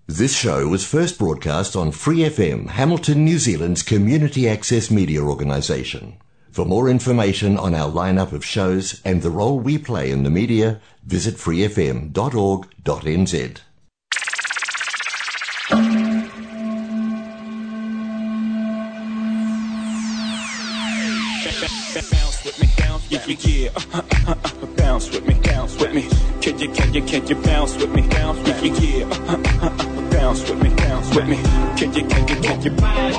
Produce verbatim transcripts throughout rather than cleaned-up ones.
This show was first broadcast on Free F M, Hamilton, New Zealand's community access media organisation. For more information on our lineup of shows and the role we play in the media, visit free f m dot org dot n z. Bounce with me, bounce with me, yeah, yeah, yeah. Uh, uh, uh, uh, bounce with me, bounce with me. Can you, can you, can you bounce with me, bounce with me, yeah? Uh, uh, uh, uh, uh, bounce with me, bounce with me. Can you, can you, can you? Hey,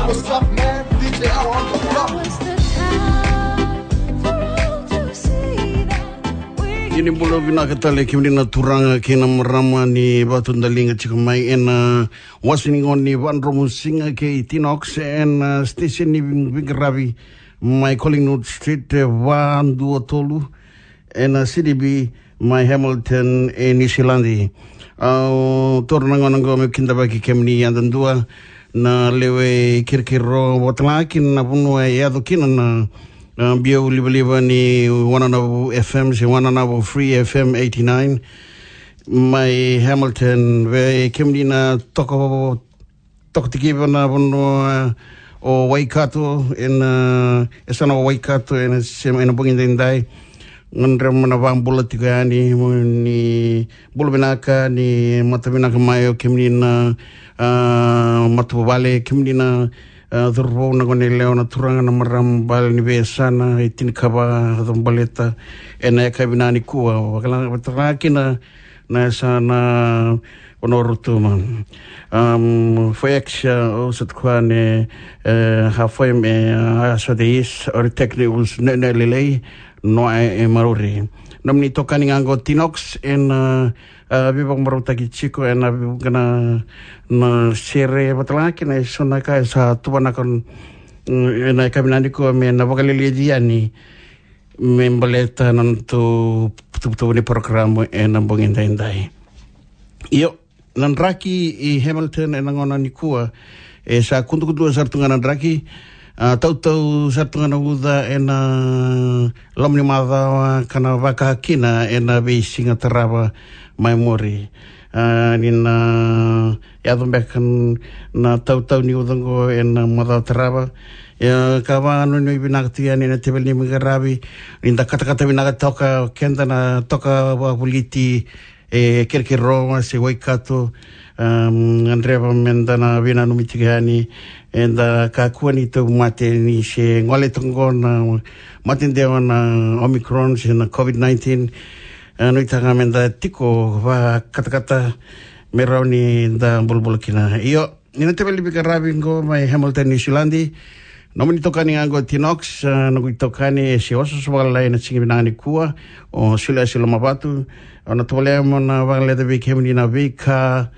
what's up, man? D J Awa on the block. Ia ni bula vinaka tale kemuni na turaga kei na marama ni vakatudaliga tiko mai ena wasa ni gauna ni vakadromu siga kei Tinox ena station ni veiqaravi mai Collingwood Street, e, va dua tolu, ena C D B mai Hamilton, e, New Zealand. Au taura na gauna oqo meu kidavaki kemuni yadudua na lewe i Kerekere, vata ga kina na vanua e yaco kina na, na biau livaliva ni Wananavu F M se Wananavu Free F M eighty-nine mai Hamilton. Vei kemuni na toka, toka tikiva na vanua o Waikato, ena, e, yasana o Waikato, ena sema, ena bogi daidai. Gadreva mo na vakabula tiko yani, mo ni bula vinaka, ni mata vinaka mai o kemuni na, a, matavuvale, kemuni na, a, cauravou, na goneyalewa, na turaga, na marama, bale ni veiyasana e tinikava, yaco baleta ena yakavi nikua. Vakala-, vata ga kina na yasana o Norutuma. Um, foi ex, uh, o sa tukua ne, eh, ha foi me, uh, sa de is, or technicals, ne, ne lelei, no e, e maruri. Nomuni tokani ga qo Tinox, ena, uh, uh, veivakamarautaki tiko, ena veivuke na, na sere, vata ga kina e so na ka e sa tuvanaka, mm, ena yakavi nikua me na vakaleleci yani, me baleta na nodatou tuvatuva ni porokaramu ena bogi daidai. Io, na draki i Hamilton ena gauna nikua, e sa kudukudua sara tu ga na draki, a, tautau sara tu ga na uca ena loma ni macawa ka na vaka kina ena veisiga tarava mai muri. A, ni na yaco beka n-, na tautau ni uca oqo ena macawa tarava. Ia, ka vakanuinui vinaka tu yani ena teveli ni veiqaravi, ni da katakata vinaka toka, keda na toka vakavoliti, e, Kerekere se Waikato, um, gadreva me da na veinanumi tiko yani, eda kakua ni tauvimate ni se gole toka oqo na mate dewa na Omicron se na COVID nineteen, e, nuitaka me da tiko vakatakata me rawa ni da bulabula kina. Io, ni na teveli veiqaravi qo mai Hamilton, New Zealand. Nomuni tokani ga qo Tinox, a, noqu itokani e se osooso vakalailai ena siga vinaka nikua, o Sule Asi Lomavatu. Au na tovolea mo na vakaleta vei kemuni na veika,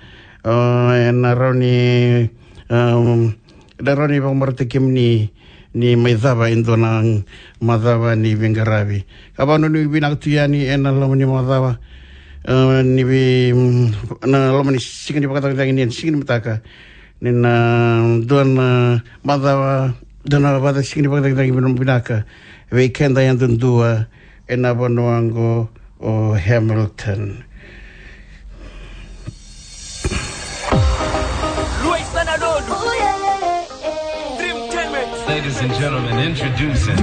a, ena rawa ni, um, ena rawa ni vakamarautaki kemuni ni mai cava e dua na macawa ni veiqaravi. Ka vakanuinui vinaka tu yani ena loma ni macawa, e, ni vei, mm, na loma ni siga ni vakacagicagi ni siga ni mataka. Ni na dua na macawa, dua na vakacagicagi ni vakacagicagi vina-, vinaka vei keda yadudua ena vanua oqo o Hamilton. Ladies and gentlemen, introducing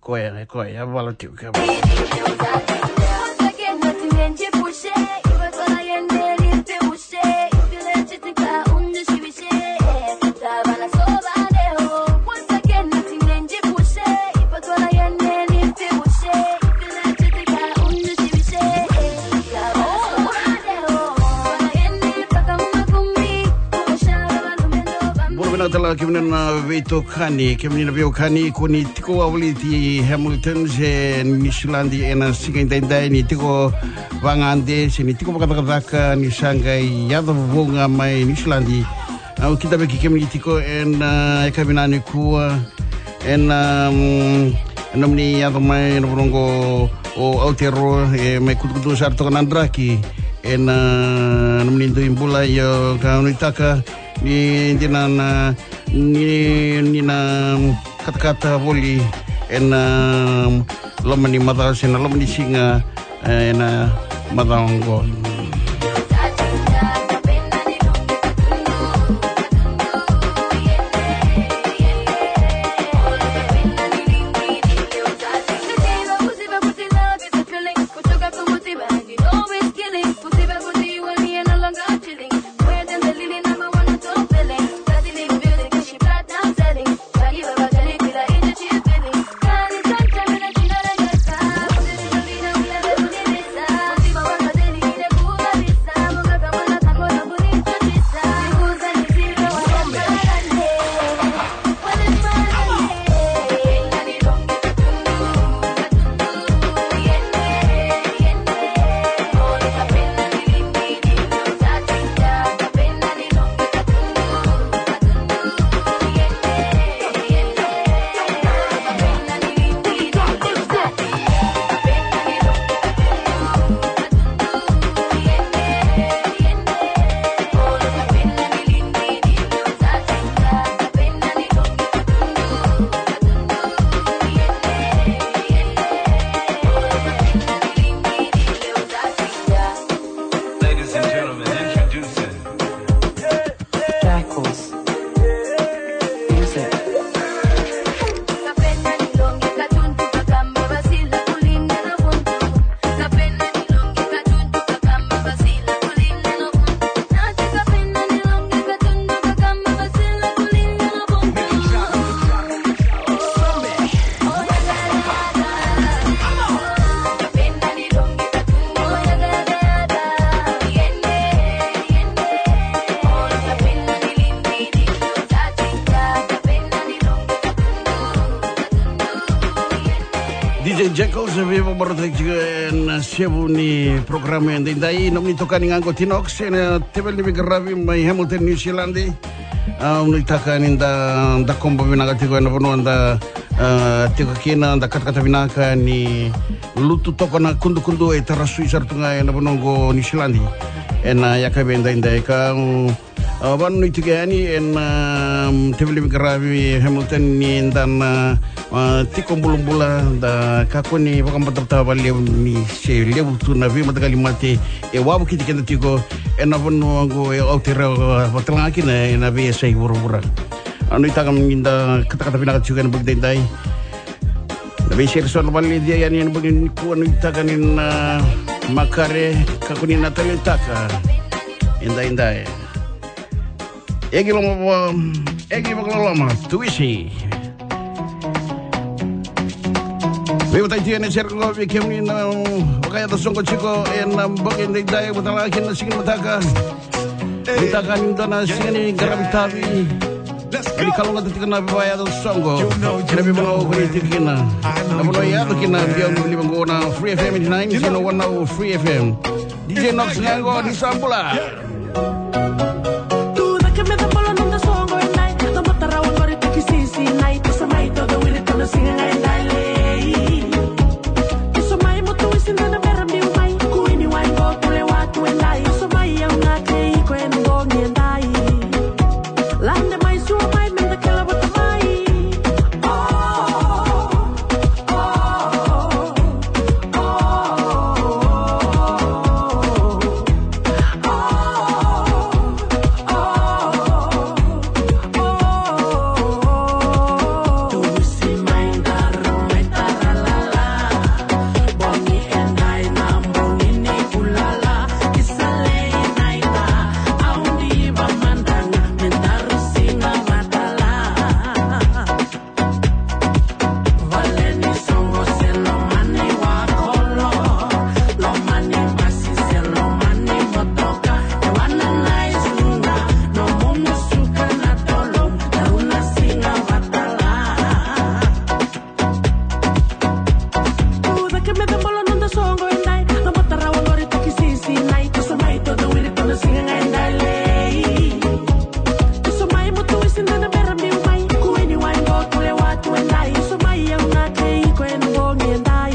Koya, koya, vala tiko. Kala kemuni na veitokani, kemuni na veiwekani, ko ni tiko wavoliti Hamilton se Niusiladi ena siga edaidai, ni tiko vagade se ni tiko vakacakacaka, ni sa qai yaco vou ga mai Niusiladi. Au kidavaki kemuni tiko ena, ah, yakavi nikua, ena, mm, nomuni yaco mai na vanua qo o Aotearoa, e mai kutukutu sara toka na draki ena, ah, nomuni dui bula. Io, ka nuitaka ni dina na, ni, ni na katakata voli ena loma ni macawa se na loma ni siga, eh, ena macawa oqo. Ladies and gentlemen, introducing Jackals. Music. D J Jackals, e via vakamarautaki tiko ena isevu ni porokaramu edaidai. Nomuni itokani ga qo o Tinox, ena teveli ni veiqaravi mai Hamilton, Niusiladi. Au nuitaka ni da, da kobo vinaka tiko ena vanua da, ah, tiko kina, da katakata vinaka ni lutu toka na kudukudu e tara sui sara tu ga ena vanua qo Niusiladi ena yakavi edaidai. Ka, mm, ah, vakanuinui tiko yani ena, ah, teveli ni veiqaravi Hamilton ni da na, ah, tiko bulabula, da kakua ni vakabatabata vakalevu ni se levu tu na veimataqali mate e wavokiti keda tiko ena vanua qo e Aotearoa, vaka talega kina ena veiyasai vuravura. Au nuitaka ni da katakata vinaka tiko ena bogi edaidai. Na veisere so na vakalelecia yani ena bogi nikua, nuitaka ni na makare, kakua ni na taleitaka edaidai. Egi Lomavu, Egi Vakaloloma, Tuisi. Veiwataki tiko ena sere qo vei kemuni na vakayaco soqo tiko ena bogi edaidai, vaka talega kina na siga ni mataka. Nuitaka ni dua na siga ni qaravi tavi. Ni kalougata tiko na vakayaco soqo ena veivanua o ni tiko kina. Na vanua e yaco kina na biau ni liva qo na Free F M eighty-nine point one Free F M. D J Nox ga qo, ni sa bula. Tu cake me cabolo noda soqo e dai. Cabota rawa qori taki sisi nai. Toso mai toda wiri toda siga ga e dai lei. Toso mai mo tu isi dana bera biu mai. Kuini wai qo kule watu e dai. Toso mai au ga kei iko e na bogi e dai. Lade mai sua mai me da kela vata mai. Oh, oh, oh. Edai.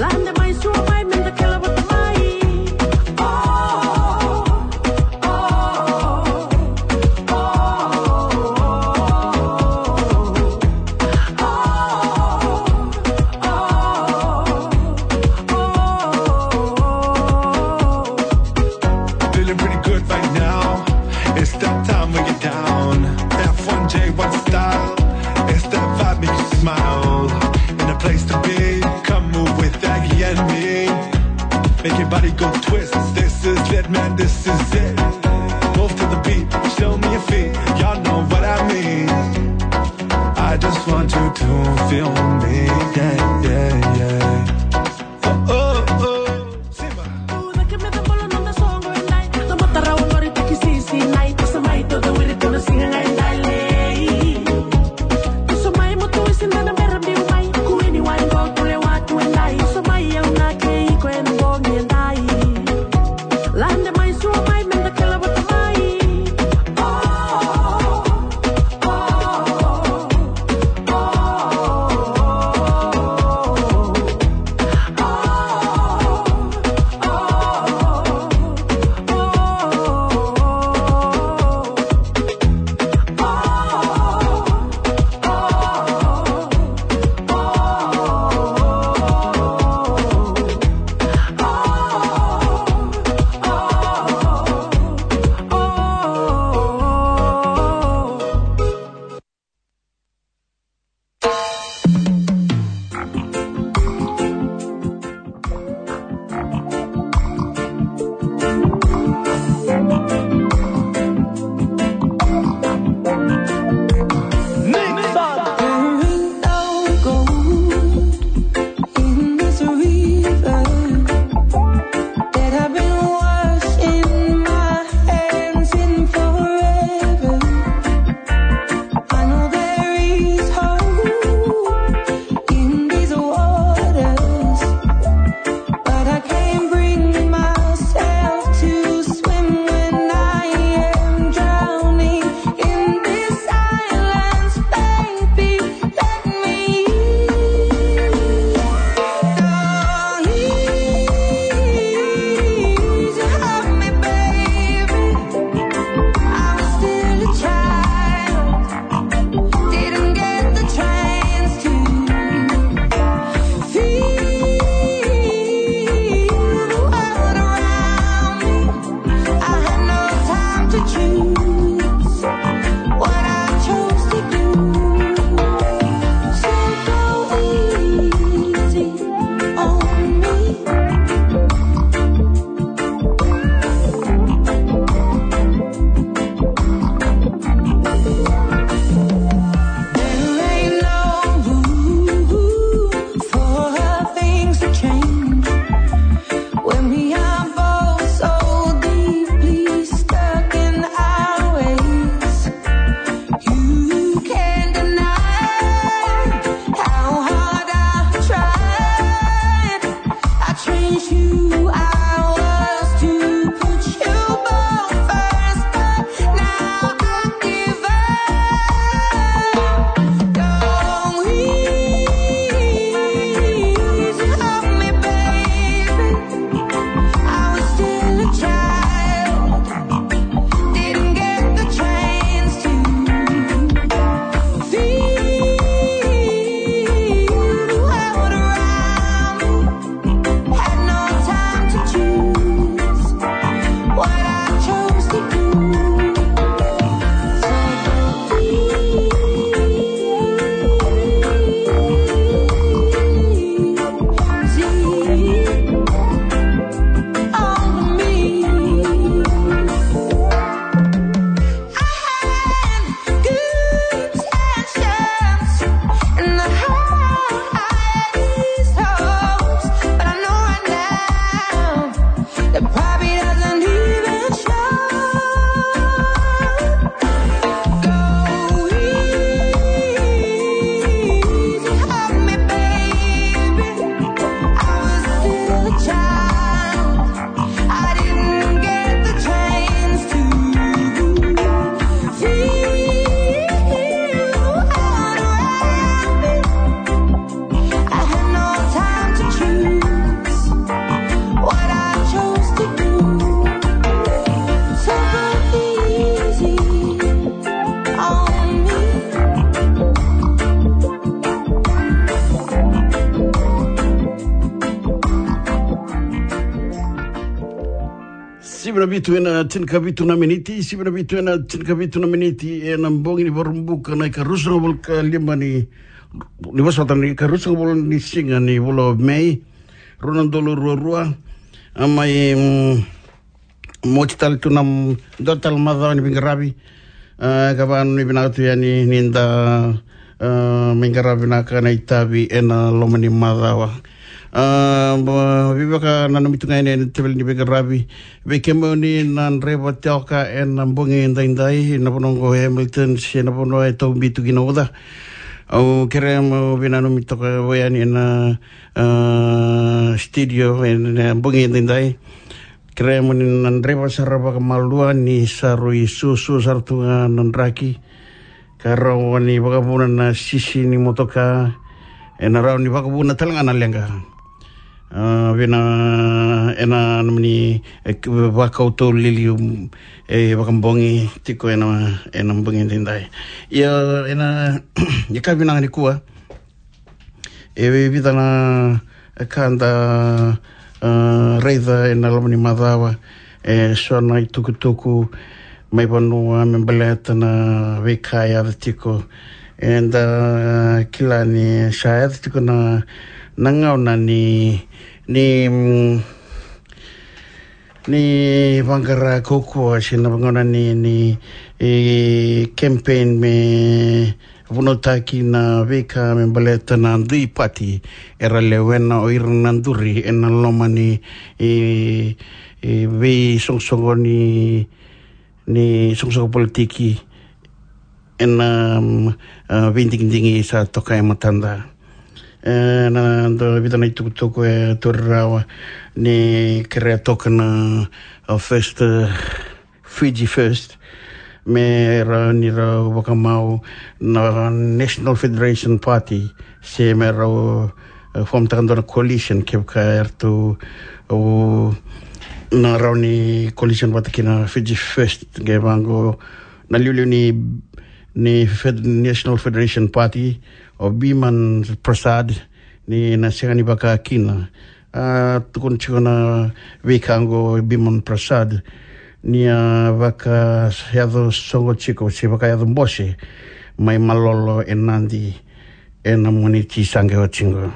Lade mai, sua mai, meda kele vata mai. Oh, oh, oh, oh. Feeling pretty good right now. It's that time we get down. F one J one style. It's that vibe make you smile. In a place to be. Come move with Aggie and me. Make your body go twist. This is it, man. This is it. Move to the beat. Show me your feet. Y'all know what I mean. I just want you to feel me. Yeah, yeah, yeah. Oh, oh, oh. Simba. Tuda ke me da bolo noda soqo edai. Da mata rau lori taki sisi nai. Toso mai toda wiri toda siga ga edai lei. Toso mai mo tu isi da na bera biu mai. Kuini wai go kule watu edai. Toso mai au na kei ko en bogi edai. Lade mai, sua mai, meda kele vata mai. Oh, oh, oh, oh. Sivia na vitu ena tinikavitu na miniti, sivia na vitu ena tinikavitu na miniti, ena bogi ni Vakaraubuka na ikaruasagavulu ka lima ni, ni vosota, ni ikaruasagavulu ni siga ni vula o Me, rua na udolu ruarua. A mai, mm, moti tale tu na, mm, dua tale macawa ni veiqaravi. A, ka vakananumi vinaka tu yani ni da, a, mai qaravi vinaka na itavi ena loma ni macawa. A, ba, veivakananumi tu ga yani ena teveli ni veiqaravi. Vei kemuni na draiva toka ena bogi edaidai, na vanua oqo e Hamilton, se na vanua e taubi tu kina uca. Au kerea mo veinanumi toka yani ena, a, studio ena bogi edaidai. Kerea mo ni na draiva sara vakamalua ni sa rui susu sara tu ga na draki. Ka rawa ni vakavuna na sisi ni motoka. Ena rawa ni vakavuna tale ga na leqa. A, vei na, ena nomuni, e, vakautou lili, e, vakabogi tiko ena, ena bogi edaidai. Ia, ena, ia ka vinaka nikua. E vica na ka da, a, raica ena loma ni macawa, e so na itukutuku mai vanua me baleta na veika e yaco tiko. Eda kila ni sa yaco tiko na, na gauna ni, ni, mm, ni vaqara kaukauwa se na vaqara ni, ni, e, campaign me vunautaki na veika me baleta na dui pati era lewena o ira na duri ena loma ni, e, e, veisoqosoqo ni, ni soqosoqo politiki ena, mm, a, veidigidigi sa toka e matada. E, na, da vica na itukutuku e tauri rawa ni kerea toka na, a, first, e, Fiji First, me ra, ni ra vakamau na National Federation Party, se me ra, e, form taka dua na coalition, kevaka eratou, o, na rawa ni coalition vata kina Fiji First, ke vaqo, na liuliu ni, ni Fed-, National Federation Party, o Biman Prasad, ni na sega ni vaka kina. A, tukuna tiko na veika oqo Biman Prasad, ni a vakayaco soqo tiko, se vakayaco bose, mai Malolo e Nadi, ena Moniti sa qai oti oqo.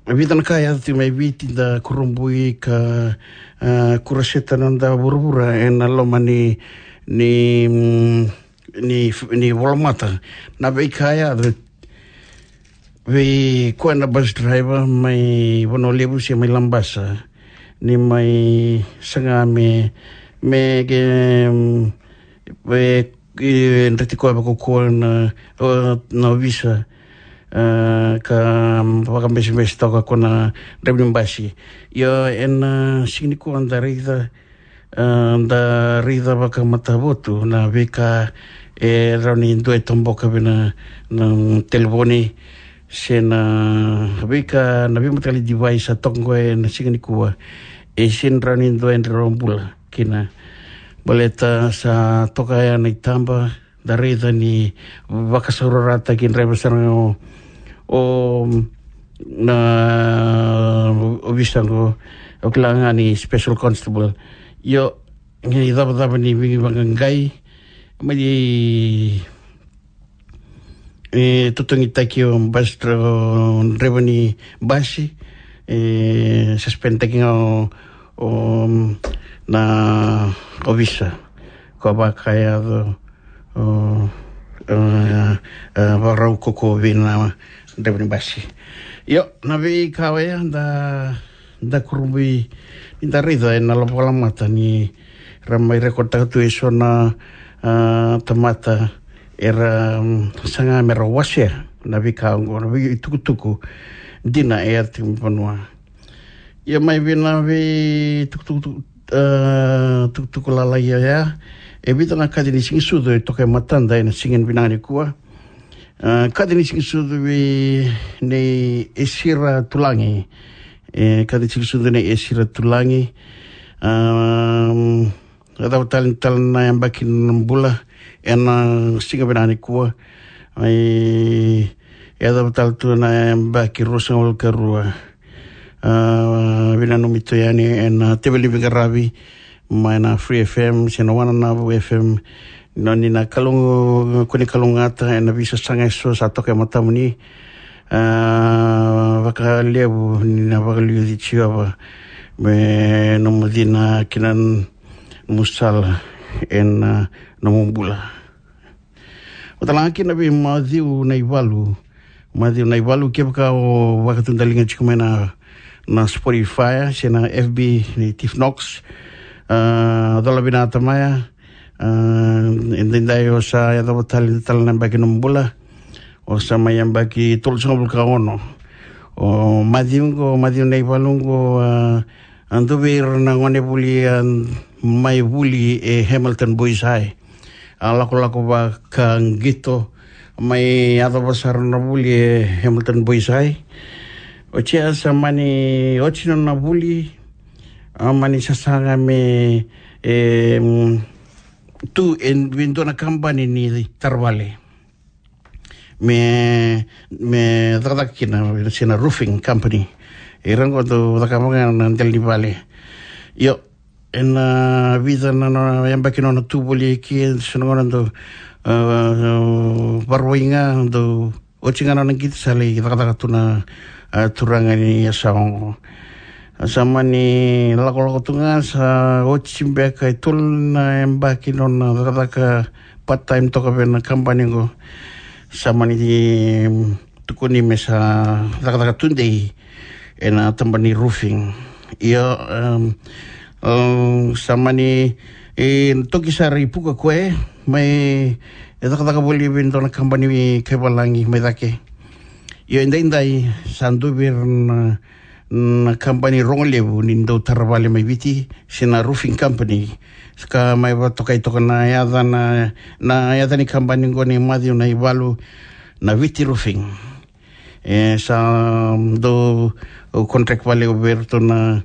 Vica na ka e yaco tiko mai Viti da kurabui ka, a, kuraseta na noda vuravura ena loma ni, ni, mm, ni, ni volamata. Na veika e yaco vei koya na bus driver mai Vanua Levu se mai Labasa. Ni mai saga me, me ke, mm, e, e, dreti koya vakaukauwa na, o, na ovisa, e, ka vakabesebese toka ko na draiva ni basi. Ia, ena, e, siga nikua da raica, e, da raica vakamatavotu na veika e rawa ni dua e toboka vei na, na telefoni, se na veika na veimataqali device sa toka qo ena siga nikua. E sega ni rawa ni dua e dra bula kina. Baleta sa toka ya na itaba, da raica ni vakasaurarataki draiva sara o, o na ovisa qo, o kila ga ni special constable. Io, e icavacava ni veivaqaqai, mai e totogitaki o bus dra-, o draiva ni basi, e suspendtaki ga o, o na ovisa. Ko vakayaco, o, e, e, vakarau koko vei na draiva ni basi. Io, na veika oya da da kurabui ni da raica ena loma ni volamata ni ra mai record taka tu e so na, a, tamata era, mm, saga me ra wasea na veika oqo, na veitukutuku dina e yaco tiko mai vanua. Ia mai vei na veitukutuku, a, tukutuku lalai oya, e vica na kaci ni siga ni sucu e toka e matada ena siga vinaka nikua. A, kaci ni siga ni sucu vei nei Esira Tulagi. E, kaci ni siga ni sucu nei Esira Tulagi. A, e cava tale, tale na yabaki na bula ena siga vinaka nikua. E, e cava tale tu na yabaki ruasagavulu ka rua. A, vinanumi tu yani ena teveli veiqaravi mai na Free F M se na Wananavu F M. Ni na kalougata, ko ni kalougata ena veisasaga eso sa toka e matamuni. A, vakalevu ni na vakaliuci Jiova me nomu cina kina nomu sala ena nomu bula. Vata la kina vei Maciu Naivalu. Maciu Naivalu, kevaka o vakatudaliga tiko mai na, na Spotify se na F B ni Tiff Knox. A, cola vinaka tamaya. A, edaidai o sa yacova tale, tale na yabaki nomu bula. O sa mai yabaki tolusagavulu ka ono. O Maciu qo, Maciu Naivalu qo, a, a dua vei ira na gone vuli, a, mai vuli e Hamilton Boys High. A lakolako vakaqito mai yacova sara na vuli e Hamilton Boys High. Oti ya sa mani oti nona vuli, a mani sasaga me, e, mm, tu e vei dua na kabani ni taravale. Me, me cakacaka kina se na roofing company. Ira qo dau cakava ga na dela ni vale. Io, ena vica na, na yabaki nona tu voli eke, so na gauna dau, a, vakarauwai ga, dau oti ga nona qito sa lai cakacaka tu na, a, turaga ni yasawa qo. Sa mani lakolako tu ga, sa oti beka e tolu na yabaki nona cakacaka part time toka vei na kabani qo. Sa mani, mm, tukuni me sa cakacaka tudei ena tabana ni roofing. Io, em, em, sa mani, e, toki sara i Puka koya, mai, e, cakacaka voli vei dua na kabani vei kaivalagi mai cake. Io, edaidai sa dua vei ira na, na kabani rogo levu ni dau tara vale mai Viti, se na roofing company. Sa ka mai vakatokai toka na yaca na, na yaca ni kabani qo nei Maciu Naivalu, na Viti Roofing. E, sa dau contract vale vei iratou na,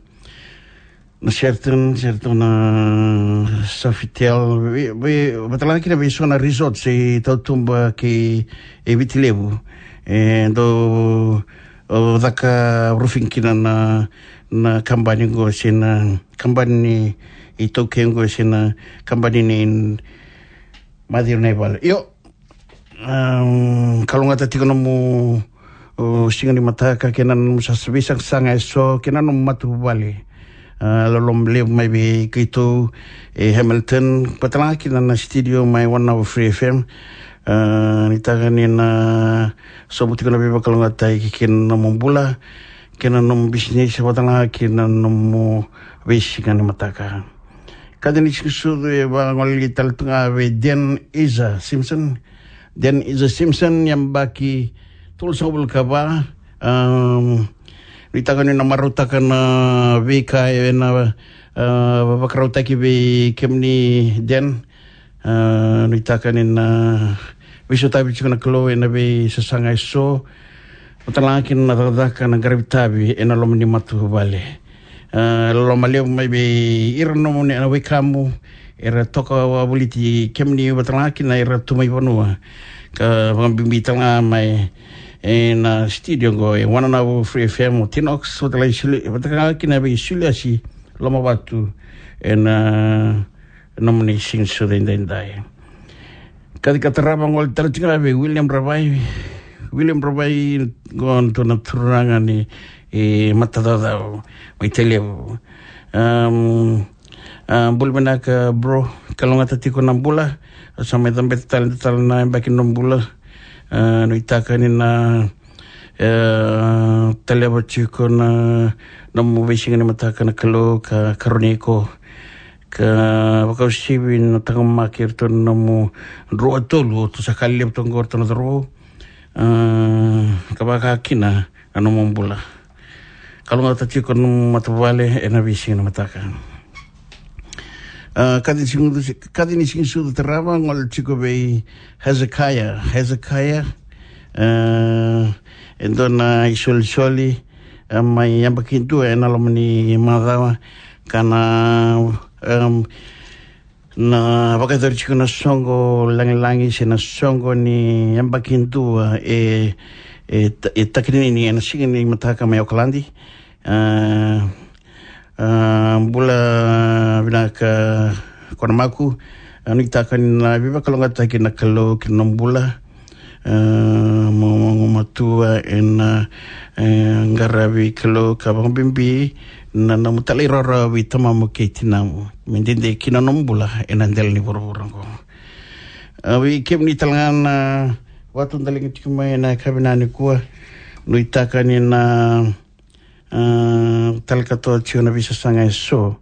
na Sheraton, Sheraton na Sofitel, vei, vei, vata la kina vei so na resort se i tautuba kei, e, Viti Levu. E, dau, o, caka roofing kina na, na kabani qo se na kabani ni, iTaukei qo se na kabani ni Maciu Naivalu. Io, Am, kalougata tiko nomu, o, siga ni mataka kei na nomu sa, veisaqasaqa eso kei na nomu matavuvale. A, loloma levu mai vei keitou e Hamilton, vata la kina na studio mai Wananavu Free F M. A, nuitaka ni na sobu tiko na veivakalougatataki kei na nomu bula, kei na nomu bisinisi, vata la kina nomu veisiga ni mataka. Kaci ni siga ni sucu e vagolei tale tu ga vei Dan Isa Simpson. Dan Isa Simpson, yabaki tolusagavulu ka va. Am, nuitaka ni na marautaka na veika ena, a, vakarautaki vei kemuni, Dan. A, nuitaka ni na veisautaki tiko na Kalou ena veisasaga eso. Vata la kina na cakacaka na qaravi tavi ena loma ni matavuvale. A, loloma levu mai vei ira nomuni na wekamu era toka wavoliti kemuni, vata la kina era tu mai vanua, ka vakabibi tale ga mai ena studio qo e Wananavu Free F M, o Tinox, vata la i Suli, vata la kina vei Suliasi Lomavatu ena nomuni siga ni sucu edaidai. Kaci ka tarava, gole tale tiko ga vei William Ravai. William Ravai, qo dua na turaga ni, e, matacaucau mai Tailevu. Am, a, bula vinaka, bro. Kalougata tiko na bula. Sa mai cabeta tale, tale na yabaki ni nomu bula. A, nuitaka ni na, e, taleva tiko na nomu veisiga ni mataka na Kalou ka karoni iko. Ka vakauasivi na taqomaki iratou na nomu rua, tolu, o ratou sa ka levu toka qo, ratou na cauravou. A, ka vaka kina na nomu bula. Kalougata tiko na nomu matavuvale ena veisiga ni mataka. A, kaci ni siga ni sucu, kaci ni siga ni sucu tarava, gole tiko vei Hezekiah. Hezekiah, a, e dua na isolisoli, a, mai yabaki dua ena loma ni macawa, ka na, em, na vakayacori tiko na soqo lagilagi se na soqo ni yabaki dua e, e ta-, e takinini ena siga ni mataka mai Okaladi. A, a, bula vinaka ko na maku. A, nuitaka ni na veivakalougatataki na Kalou ki na nomu bula. A, mo, mo, mo matua e na, e, qaravi Kalou ka vakabibi na nomu talairawarawa vei tamamu kei tinamu me dede ki na nomu bula e na dela ni vuravura oqo. A, vei kemuni tale ga na vatu daliga tiko mai e na yakavi nikua, nuitaka ni na a, tale katoa tiko na veisasaga e so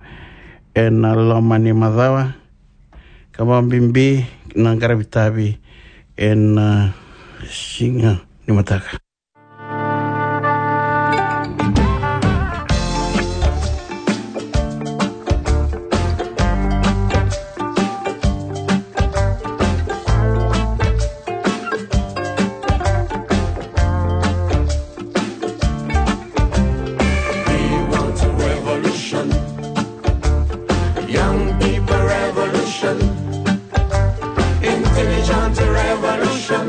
e na loma ni macawa, ka vakabibi na qaravi tavi e na siga ni mataka. We want a revolution. Young people revolution. Intelligent revolution.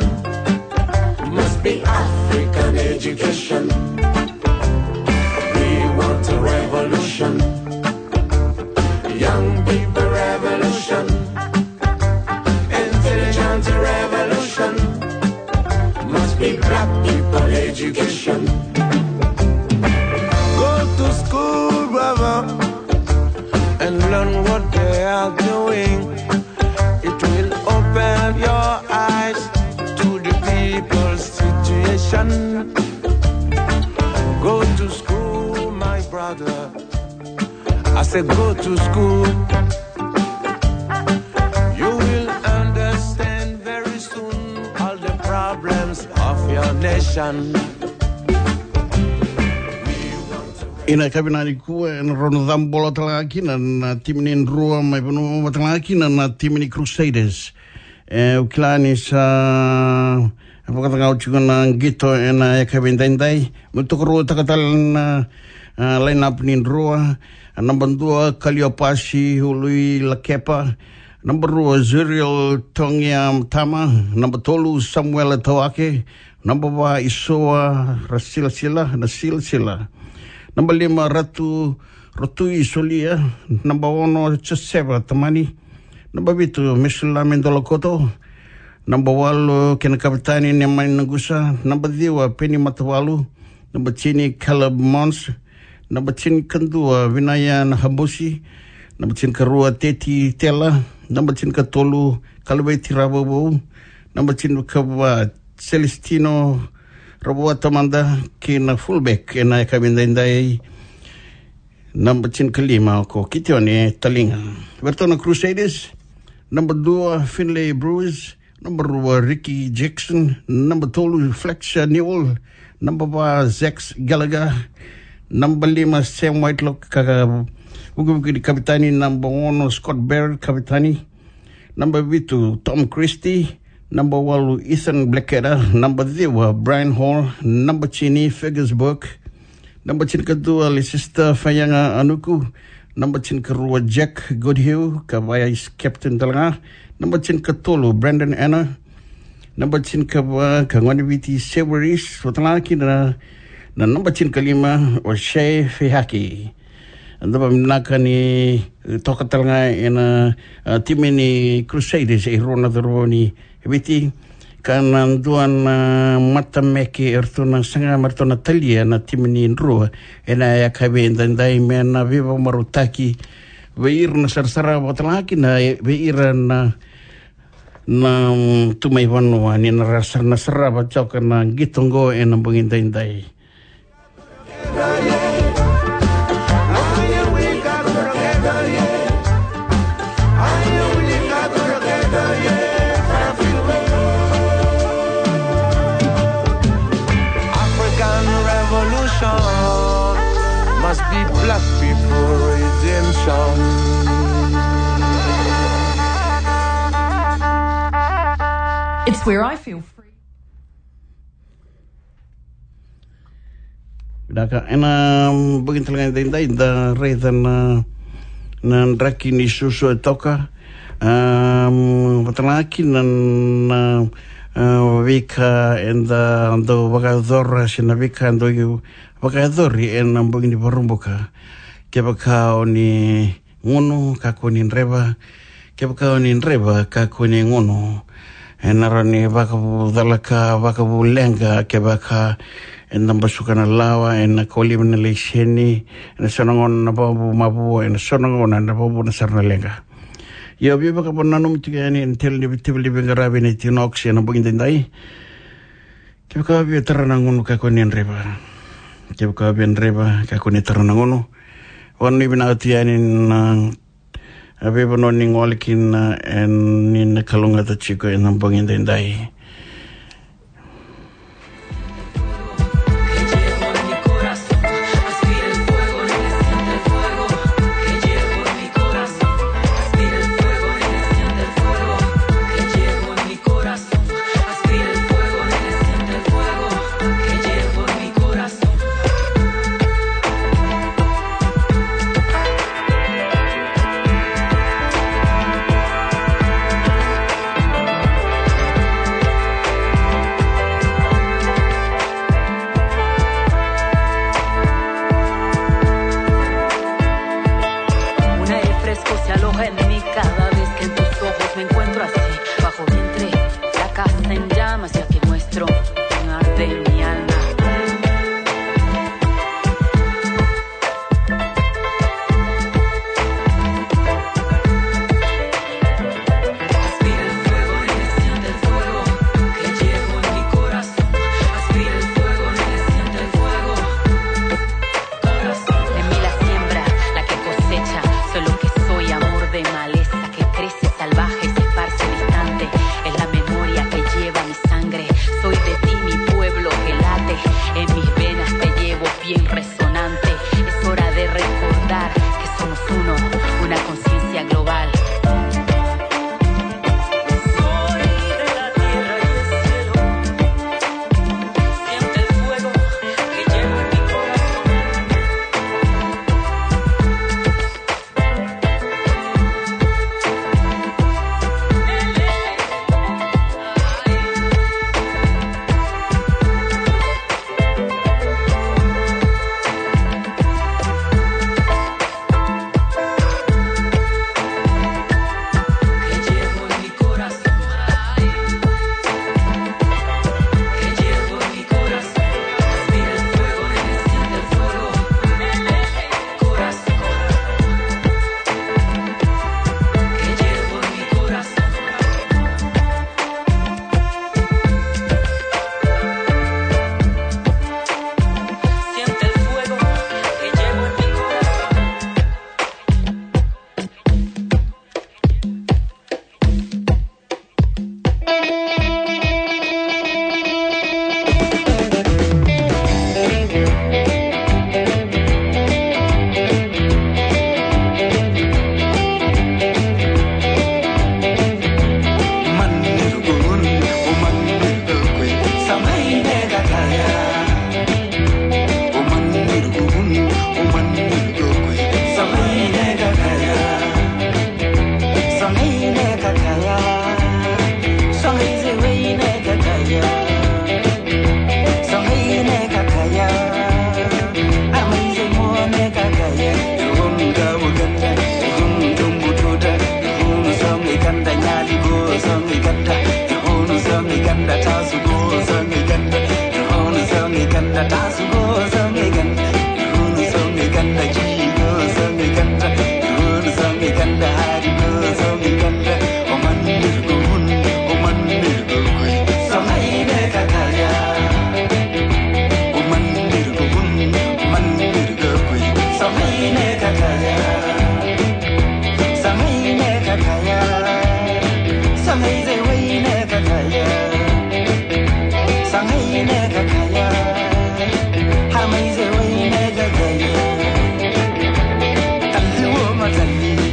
Must be African education. We want a revolution. Young people revolution. Intelligent revolution. Must be black people education. Go to school, brother, and learn what they are doing. It will open your eyes to the people's situation. Go to school, my brother. I said, go to school. You will understand very soon all the problems of your nation. E na yakavi nikua e na rau na cabolo tale ga kina na timi ni Drua mai Vanua, tale ga kina na timi ni Crusaders. E, au kila ni sa vakacagau tiko na qito e na yakavi edaidai. Me tokaruataka tale na, a, line-up ni Drua. A, naba dua, Kaliopasi Uluilakepa. Naba rua, Zuriel Togiamutama. Naba tolu, Samuela Tawake. Naba va, Isoa Rasilasila, na Silasila. Naba lima, Ratu Rotui Solia. Naba ono, Josefa Tamani. Naba vitu, Mesulame Dolakoto. Naba walu, kena kavetani, Nemani Nagusa. Naba ciwa, Peni Matavalu. Naba tini, Caleb Mons. Naba tinikadua, Vinaya Nahabusi. Naba tinikarua, Teti Tela. Naba tinikatolu, Kalaveti Ravovou. Naba tinikava, Celestino Ravua Tamada, kei na fullback e na yakavi edaidai. Naba tinikalima ko Kitione Taliga. Vei ratou na Crusaders, naba dua, Finlay Bruce, naba rua, Ricky Jackson, naba tolu, Fletcher Newell, naba va, Zax Gallagher, naba lima, Sam Whitelock, ka, ka vukivuki ni kavetani, naba ono, Scott Barrett, kavetani, naba vitu, Tom Christie, naba walu, Ethan Blackadder, naba ciwa, Brian Hall, naba tini, Fergus Burke, naba tinikadua, Leicester Fayaga Anuku, naba tinikarua, Jack Goodhue, ka vice captain tale ga, naba tinikatolu, Brandon Anna, naba tinikava, ka gone Viti Severis, vata tale ga kina na, na naba tinikalima, O'Shea Fehaki. Da vakavinavinaka ni toka tale ga e na, a, timi ni Crusaders e rua na cauravou ni Viti, ka na dua na matameke eratou na saga me ratou na talia na timi ni Drua e na yakavi edaidai me na veivakamarautaki vei ira na sarasara vata tale ga kina vei ira na, na, mm, tu mai vanua ni na ra sara, na sarava toka na qito oqo e na bogi edaidai. African revolution must be black people redemption. It's where I feel free. Vinaka, e na bogi tale ga edaidai da raica na, na draki ni susu e toka. Am, vata tale ga kina na, na A, veika eda dau vakayacora se na veika dau vakayacori ena bogi ni Vakaraubuka. Kevaka o ni gunu, kakua ni dreva. Kevaka o ni dreva, kakua ni gunu. Ena rawa ni vakavucalaka, vakavuleqa, kevaka eda basuka na lawa, ena kauliva na laiseni, ena so na gauna na vakavu mavua, ena so na gauna na vakavu na sara na leqa. Io, via vakananumi tiko yani ena tele ni veitemaki ni veiqaravi na Equinox ena bogi daidai. Kevaka via tara na gunu, kakua ni dreva. Kevaka via dreva, kakua ni tara na gunu. Vakananumi vinaka tu yani na, a, veivanua ni gole kina, e, ni na kalougata tiko ena bogi daidai. Un aire fresco se aloja en mí cada vez que en tus ojos me encuentro así, bajo vientre, la casa en llamas, ya que muestro un arte en mi alma. Aspira el fuego, nene, siente el fuego que llevo en mi corazón. Aspira el fuego, nene, siente el fuego. Corazón. En mí la siembra, la que cosecha, soy lo que soy, amor de maleza que crece salvaje y se esparce distante. Es la memoria que lleva mi sangre, soy de ti, mi pueblo que late. En mis venas te llevo bien resonante. Es hora de recordar que somos uno, una conciencia global. Soy de la tierra y el cielo. Siente el fuego que llevo en mi corazón.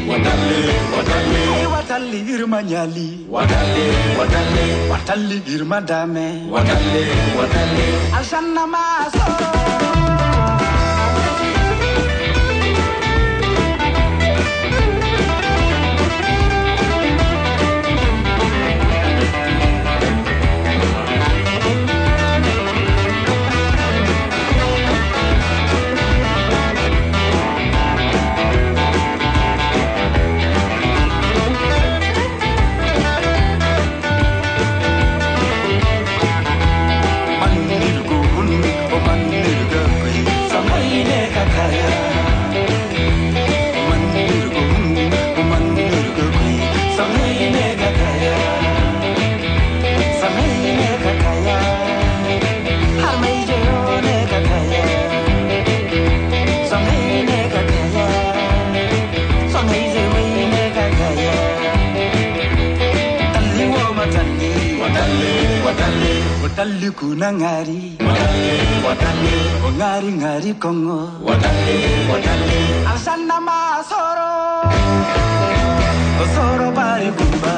Watali, watali, watali. Watali, watali. Watali, girma dame. Watali, watali. Alshanna masoro. Liku na gari. O gari gari kogo. Asana masoro. O soro bari kumba.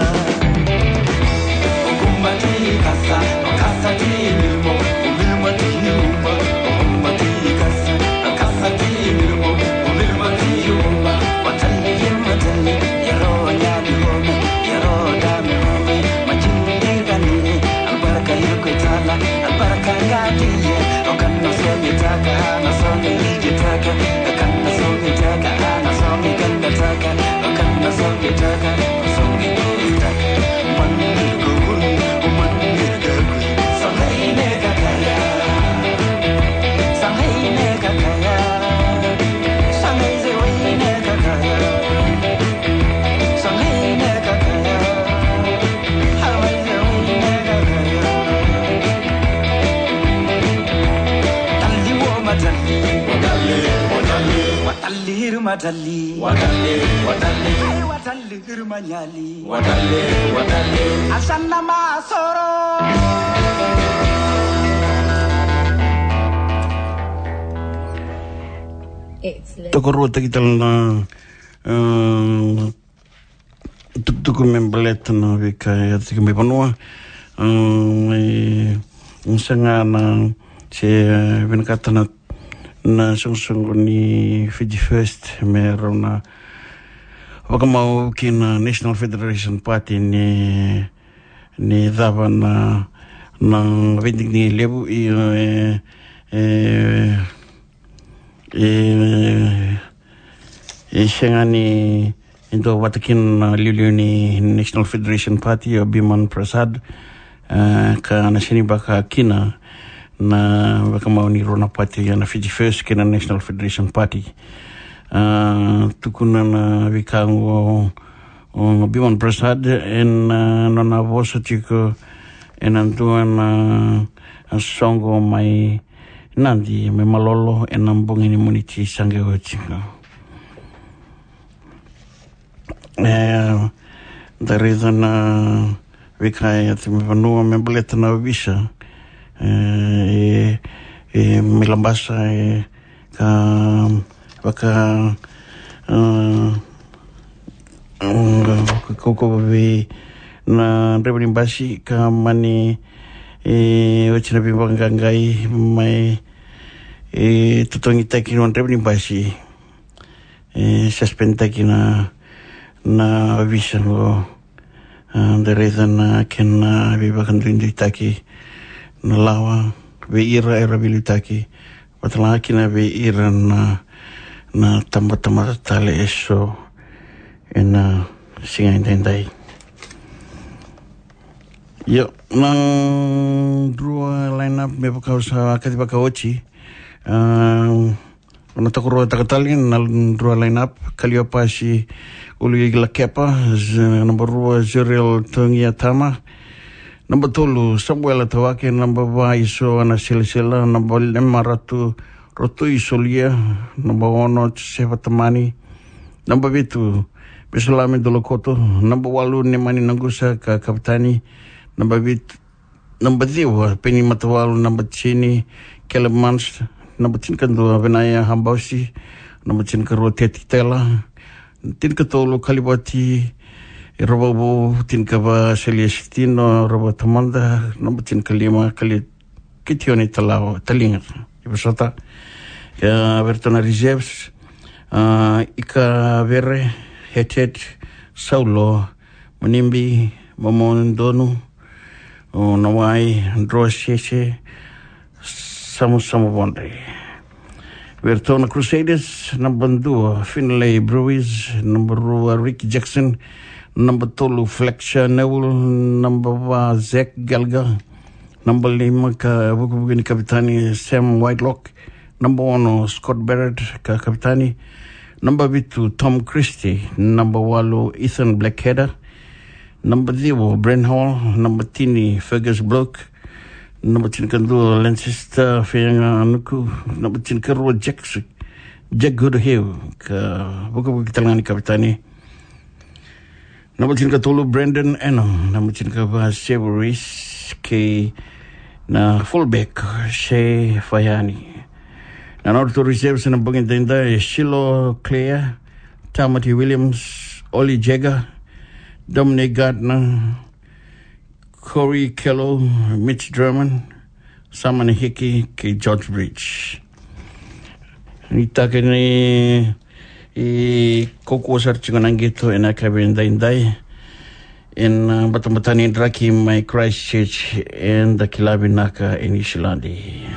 O kumba ti kasa. O kasa ti milmo. O milmo ti kumba. O kumba ti kasa. O kasa ti milmo. O milmo ti kumba. Watali, watali. Yaro nyadi home. Yaro dami home. Majindi kani. Albarka yuko tala. Albarka ngadiye. O kana songi taka. Ana songi ligi taka. O kana songi taka. Ana songi ganda taka. O kana songi taka. O songi ligi taka. Mani ko kun. O mani ko kun. Songi ne kakaya. Songi ne kakaya. Songi se wai ne kakaya. Songi ne kakaya. Tokaruataki tale na, um, tukutuku me baleta na veika e yaco tiko mai vanua. Um, e, e sega na se, e, vinakata na, na soqosoqo ni Fiji First me rau na vakamau ki na National Federation Party ni, ni cava na, na veidigidigi levu i, e, e, e, e sega ni, ni dua vata kina na liuliu ni National Federation Party o Biman Prasad, e, ka na sega ni vaka kina na vakamau ni rua na party, ia na Fiji First kei na National Federation Party. E, tukuna na veika oqo o Biman Prasad ena, e, nona vosa tiko ena dua na, e, soqo mai Nadi mai Malolo ena bogi ni Moniti sa qai oti. E, da raica na veika e yaco mai vanua me baleta na ovisa, e, e, e mai Labasa, e, ka vaka, e, ka kaukauwa vei na draiva ni basi ka mani, e, oti na veivaqaqai mai, e, totogitaki na draiva ni basi, e, suspendtaki na, na ovisa oqo. A, da raica na kena veivakaduiduitaki na lawa vei ira era veiliutaki, vata ga kina vei ira na, na tabatamata tale eso ena siga edaidai. Io, na drua line-up me vaka au sa kacivaka oti. A, na tokaruataka tale na drua line-up: Kaliopasi Uluilakepa, z-, naba rua Zuriel Togiatama, naba tolu Samuela Tawake, naba va Iso Ana Silasila, naba lima Ratu Rotoi Solia, naba ono Josefa Tamani, naba vitu Mesalami Dolokoto, naba walu Nemani Nagusa ka kapitani, naba vitu, naba ciwa Peni Matawalu, naba tini Caleb Mans, naba tinikadua Vinaya Habausi, naba tinikarua Teti Tela, tinikatolu Kalivati Ravavou, tinikava Seliesitino Ravatamada, naba tinikalima Kali-, Kitioni Talawa, Taliga, i Vasota. Ia, vei iratou na reserves, a, Ika Vere, Hetet, Saulo, Manibi, Mamodonu, o Nawai, Droa Sese, Samusamu Vodre. Vei iratou na Crusaders, naba dua Finlay Brewis, naba rua Rick Jackson, naba tolu Fletcher Newell, naba va Zach Gallagher, naba lima ka vukivuki ni kapitani Sam Whitelock, naba ono Scott Barrett ka kapitani, naba vitu Tom Christie, naba walu Ethan Blackheader, naba ciwa Brent Hall, naba tini Fergus Block, naba tinikadua Leicester Feaganuku, naba tinikarua Jack, Jack Goodhue ka vukivuki tale ga ni kapitani, naba tinikatolu Brandon Enam, naba tinikava Severis kei Na fullback, Shea Faiani. Na nodratou reserves ena bogi edaidai, Shilo Clare, Tamati Williams, Oli Jagger, Dominic Gardner, Corey Kello, Mitch German, Samani Hickey, kei George Bridge. Ni taka ni, e, kaukaua sara tiko na qito ena yakavi edaidai. Ena, a, batabata ni draki mai Christchurch, eda kila vinaka e Niusiladi.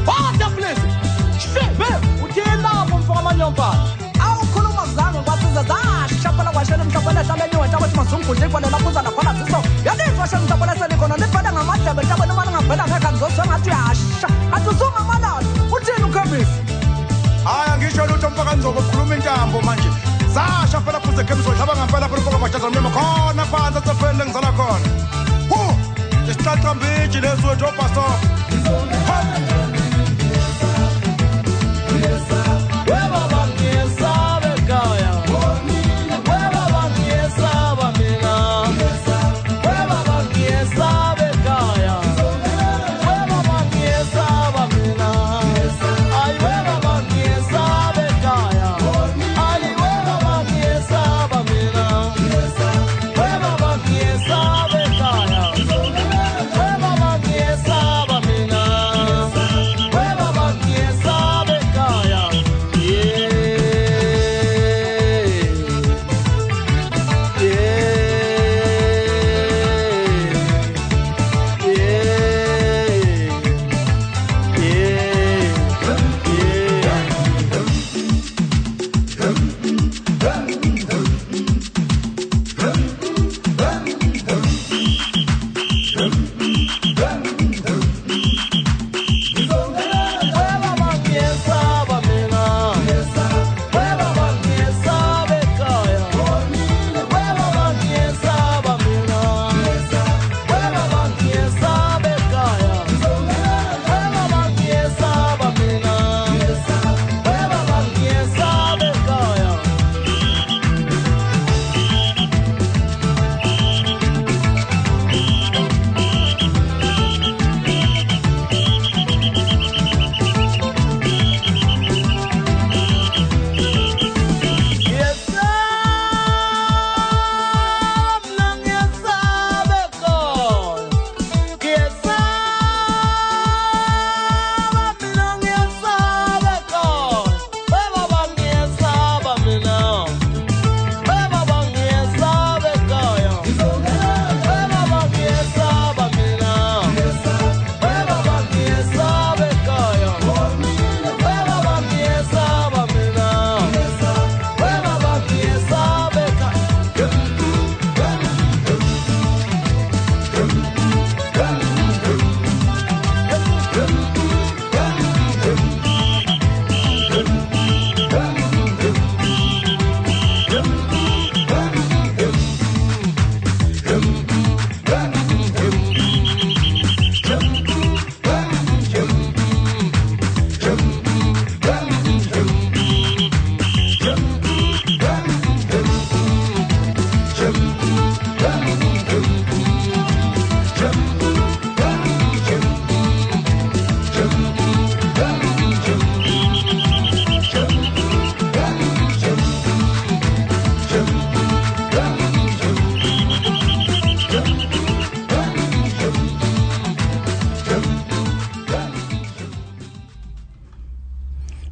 Father bless. Shebe, utila mo mfaka manyomba. Au kulu mazango kwa tiza za shapala kwa shele mshapala shale ni wata kwa mazungu kwa lela kuza na kwa tizo. Ya ni kwa shele mshapala sele kono ni pala nga matebe tabo ni mala nga pala nga kanzo so nga tu ya sha. Atu zunga mala. Utinu kabisa. Aya ngisho luto mpaka nzo kwa kulumi njambo manje. Za shapala kuza kemiso shaba nga pala kwa kwa chaza mnyama kona panza za fende nzala kona. Hu! Esta também, direito do pastor.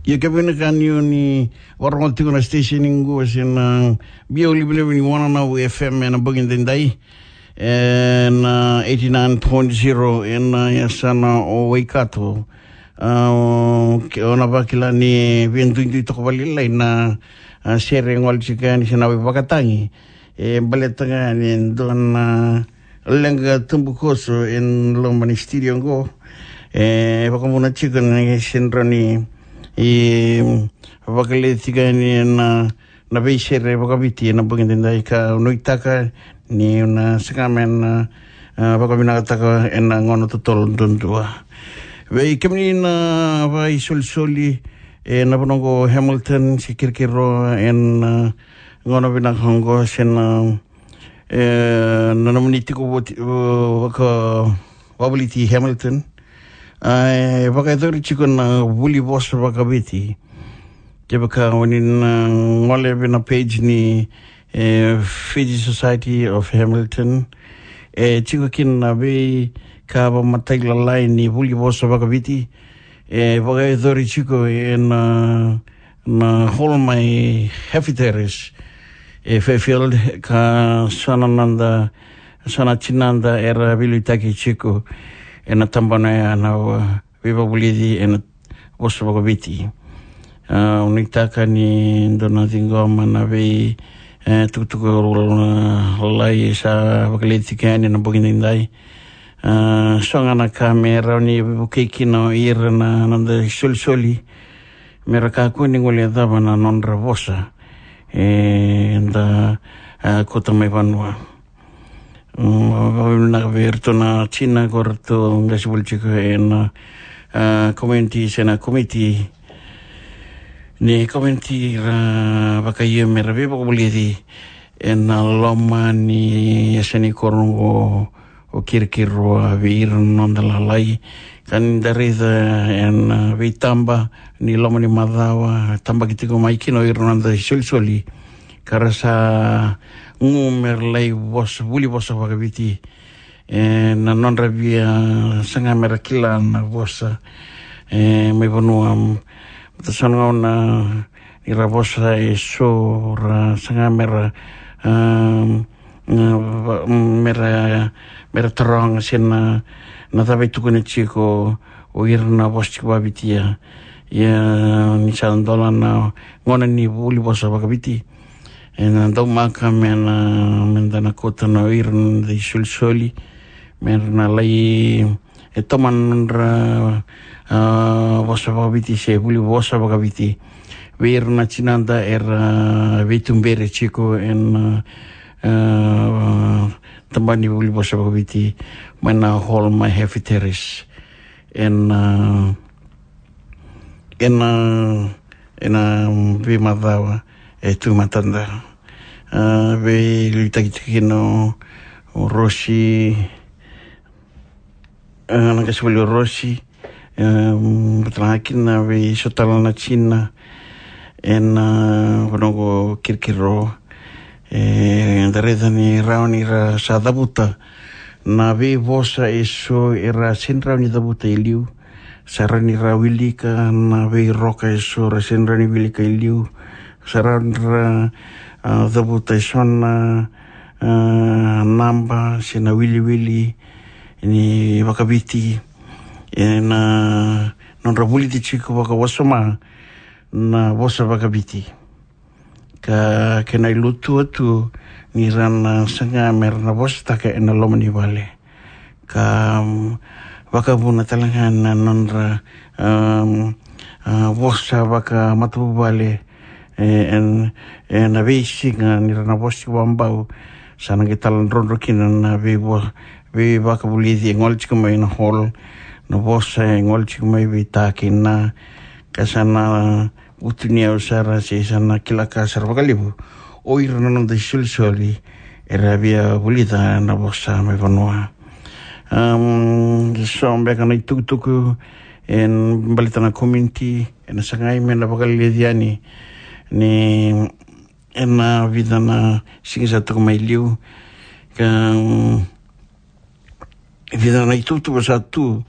Ia kevaka ni o ni vakarorogo tiko na station qo se na biau livaliva ni Wananavu F M ena bogi daidai, ena eighty nine point zero ena yasana o Waikato. A, o, ke, o na vakila ni veiduidui toka vakalailai na, a, sere e gole tiko yani se na veivakatagi. E baleta ga ni dua na leqa tubukoso e loma ni studio qo. E vakavuna tiko ni se rawa ni, e, vakaleti tiko yani na, na veisere vakaviti ena bogi daidai ka nuitaka ni na saga me na, a, vakavinakataka ena gauna totolo duadua. Vei kemuni na vakaisolisoli ena vanua qo Hamilton se Kirikiriroa ena, a, gauna vinaka qo se na, e, na nomuni tiko voti, o, vaka, vakavoliti Hamilton. A, e vakayacori tiko na vuli vosa vakaviti. Kevaka o ni na gole vei na page ni, e, Fiji Society of Hamilton, e tiko kina na veika vakamatailalai ni vuli vosa vakaviti. E vakayacori tiko ena, na Hall mai Heffy Terrace e Fairfield, ka so na noda, so na tinada era veiliutaki tiko ena tabana ya na, a, veivakavulici ena vosa vakaviti. A, nuitaka ni dou na ciqoma na vei, e, tukutuku lalai sa vakaleti tiko yani ena bogi daidai. A, so ga na ka me rawa ni vukei kina o ira na noda isolisoli me ra kakua ni guilecava na nodra vosa eda, a, kauta mai vanua. Mm, vakavinavinaka vei iratou na tina ko ratou qai sivoli tiko ena, a, community se na komiti ni community ra vakaio me ra veivakavulici ena loma ni yasa ni koro qo o Kirikiriroa vei ira na noda lalai. Ka ni da raica ena veitaba ni loma ni macawa, tabaki tiko mai kina o ira na noda isolisoli ka ra sa gu me ra lai vosa, vuli vosa vakaviti. E, na nodra via saga me ra kila na vosa, e, mai vanua, baleta so na gauna ni ra vosa e so ra saga me ra, a, a, va-, me ra, me ra taroga se na, na cava e tukuna tiko o ira na vosa tiko vakavitia. Ia ni sa dola na gauna ni vuli vosa vakaviti, ena daumaka me na, me da na kauta na o ira na isolisoli me ra na lai, e, tomana na nodra, a, vosa vakaviti se vuli vosa vakaviti vei ira na tinada era veituberi tiko ena, a, tabana ni vuli vosa vakaviti mai na Hall mai Heffy Terrace ena, a, ena, ena veimacawa e tu matada. A, veiliutaki tiko kina o, o Rosi, a, na qai sivoli o Rosi, a, baleta ga kina vei so tale na tina ena, a, vanua qo Kirikiriroa. E, da raica ni rawa ni ra sa cavuta na veivosa e so era sega ni rawa ni cavuta e liu. Sa rawa ni ra wilika na veiroka e so ra sega ni rawa ni wilika e liu. Sa rawa ni ra, a, cavuta e so na, a, naba se na wiliwili ni vakaviti ena nodra vulici tiko vakawasoma na vosa vakaviti. Ka kena ilutua tu ni ra na saga me ra na vosataka ena loma ni vale. Ka, mm, vakavuna tale ga na nodra, um, a, vosa vakamatavuvale, e, en, ena veisiga ni ra na vosa tiko vakabau. Sa na qai taladrodro kina na veivo-, veivakavulici e gole tiko mai na hall, na vosa e gole tiko mai vei ta kei na, ka sa na vutuniyau sara se sa na kila ka sara vakalevu o ira na noda isolisoli era via vulica na vosa mai vanua. Um, so beka na itukutuku e baleta na community ena sagai me na vakaleleci yani ni ena vica na siga sa toka mai liu. Ka, um, vica na itukutuku sa tu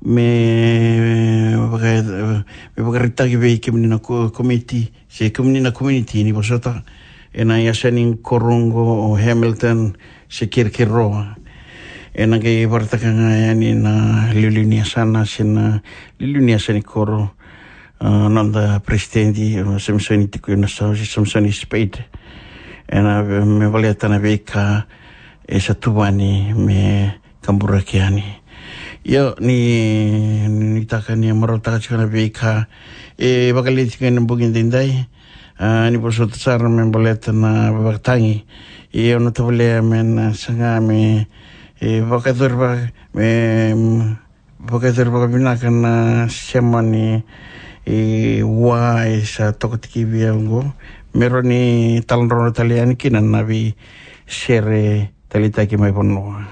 me e, e, me vakaraitaki vei kemuni na ko-, komiti, se kemuni na komuniti ni vosota, ena yasa ni koro oqo o Hamilton, se Kerekeroa. Ena qai vakaraitaka ga yani na liuliu ni yasana, se na liuliu ni yasa ni koro, a, noda peresitedi, o Samisoni Tikuinasau, se Samisoni Spade. Ena, me baleta na veika e sa tuvani me kaburaki yani. Io, ni, ni taka ni marautaka tiko na veika e vakaleti tiko ena bogi daidai. A, ni vosota sara me baleta na vakatagi. Io, na tavale me na saga me, e, vakayacori vaka, me, mm, vakayacori vakavinaka na sema ni, e, wa e sa toka tiko vei au oqo. Me rawa ni taladrodro tale yani kina na veisere taleitaki mai vanua.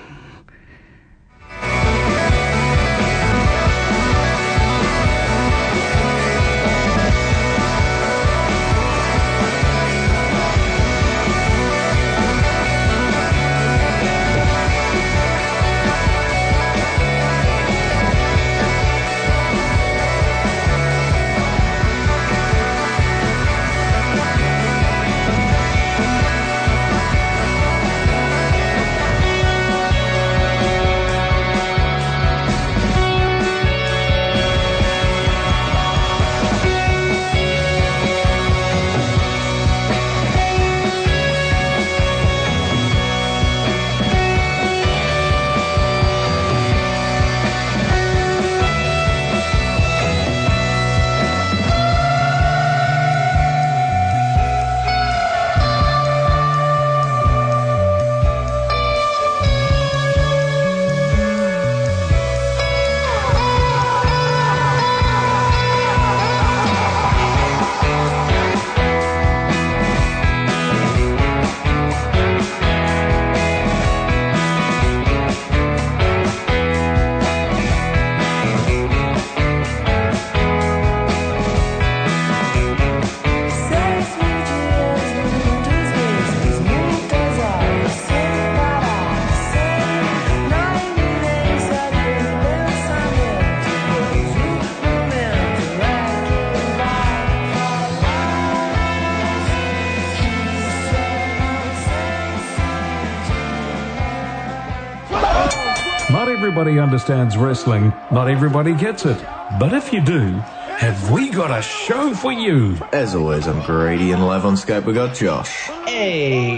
Not everybody understands wrestling, not everybody gets it. But if you do, have we got a show for you? As always, I'm Grady, and live on Skype we got Josh.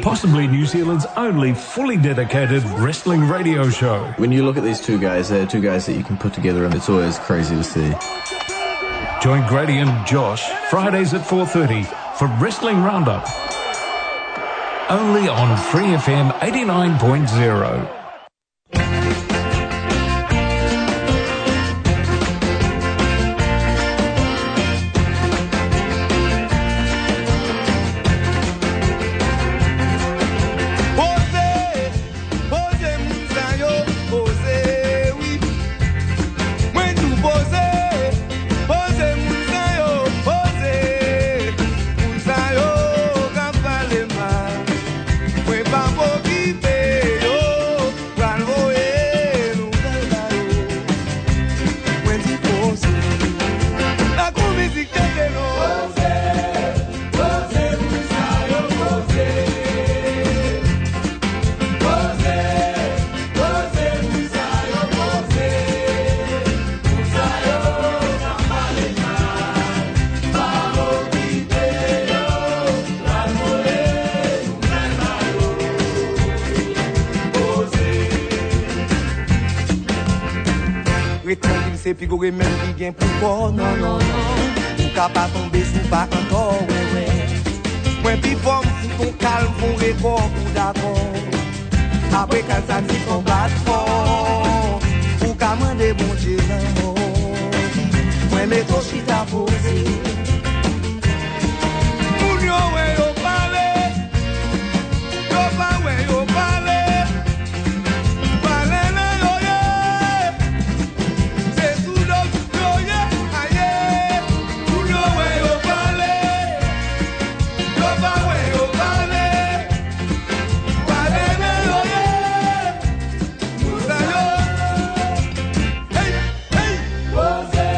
Possibly New Zealand's only fully dedicated wrestling radio show. When you look at these two guys, they're two guys that you can put together, and it's always crazy to see. Join Grady and Josh Fridays at four thirty for Wrestling Roundup. Only on Free F M eighty-nine point zero. Poze, poze, moun sa yo, poze, wi. Mwen tou poze, poze, moun sa yo, poze. Moun sa yo ka pale mal. Mwen pa pokipe yo. Pral voye nouvèl ba yo. Mwen di poze. La kou mizik tete non. Poze, poze, moun sa yo poze. Poze, poze, moun sa yo poze. Moun sa yo ka pale mal. Pa okipe yo. Ret trankil, se pi gwo remed ki gen pou kò, non, non, non. Ou ka pa tonbe si w pa antò, wè, wè. Mwen pi fò, m fout ou kalm, fon rekò, ou dakò. Apre kal sa ti konbat fò. Ou ka mande Bondye lanmò. Mwen met ou chita poze. Moun yo wè yo pale, yo pa wè yo pale. Pale nan yo ye, se sou do yo ye, aye. Moun yo wè yo pale, yo pa wè yo pale. Pale nan yo ye, moun sa yo. Hey, hey. Poze,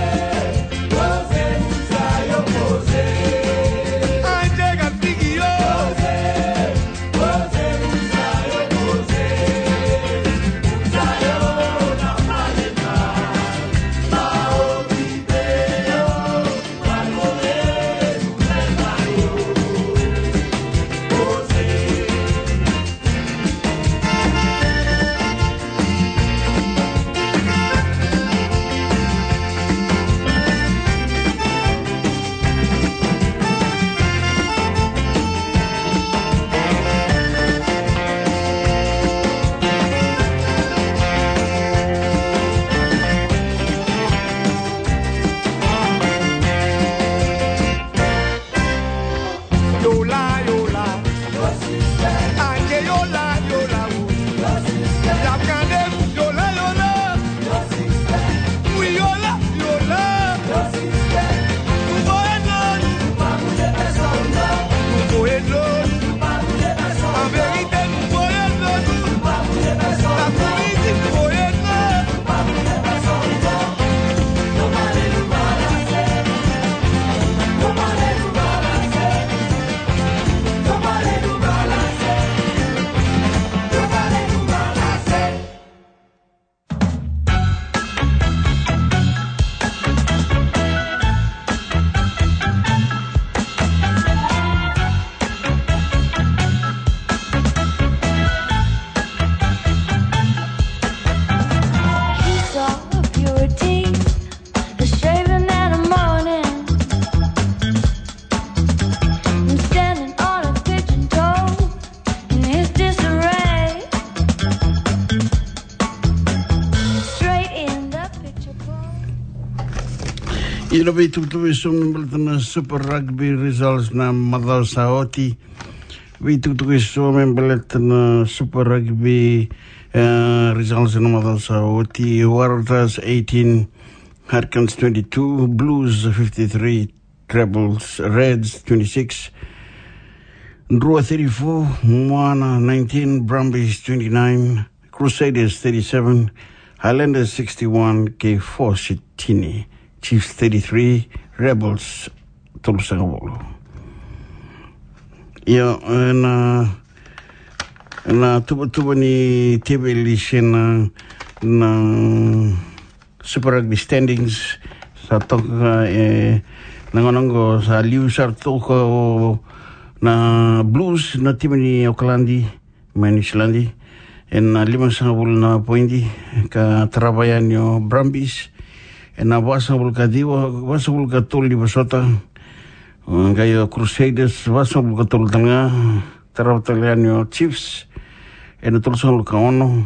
Ira veitukutuku eso me baleta na Super Rugby results na macawa sa oti. Veitukutuku eso me baleta na Super Rugby, eh, results na macawa sa oti. Waratahs eighteen, Hurricanes twenty-two, Blues fifty-three, Rebels, Reds twenty-six, Drua thirty-four, Moana nineteen, Brumbies twenty-nine, Crusaders thirty-seven, Highlanders sixty-one, kei Force tini, Chiefs thirty-three, Rebels tolusagavulu. Io, ena, ena tuvatuva ni teveli se na, na Super Rugby standings, sa toka, e, na gauna oqo sa liu sara toka na Blues, na timi ni Okaladi mai Niusiladi, ena limasagavulu na poidi, ka tarava yani o Brumbies ena vasagavulu ka ciwa, vasagavulu ka tolu ni vosota. Qai o Crusaders vasagavulu ka tolu tale ga, tarava tale yani o Chiefs ena tolusagavulu ka ono.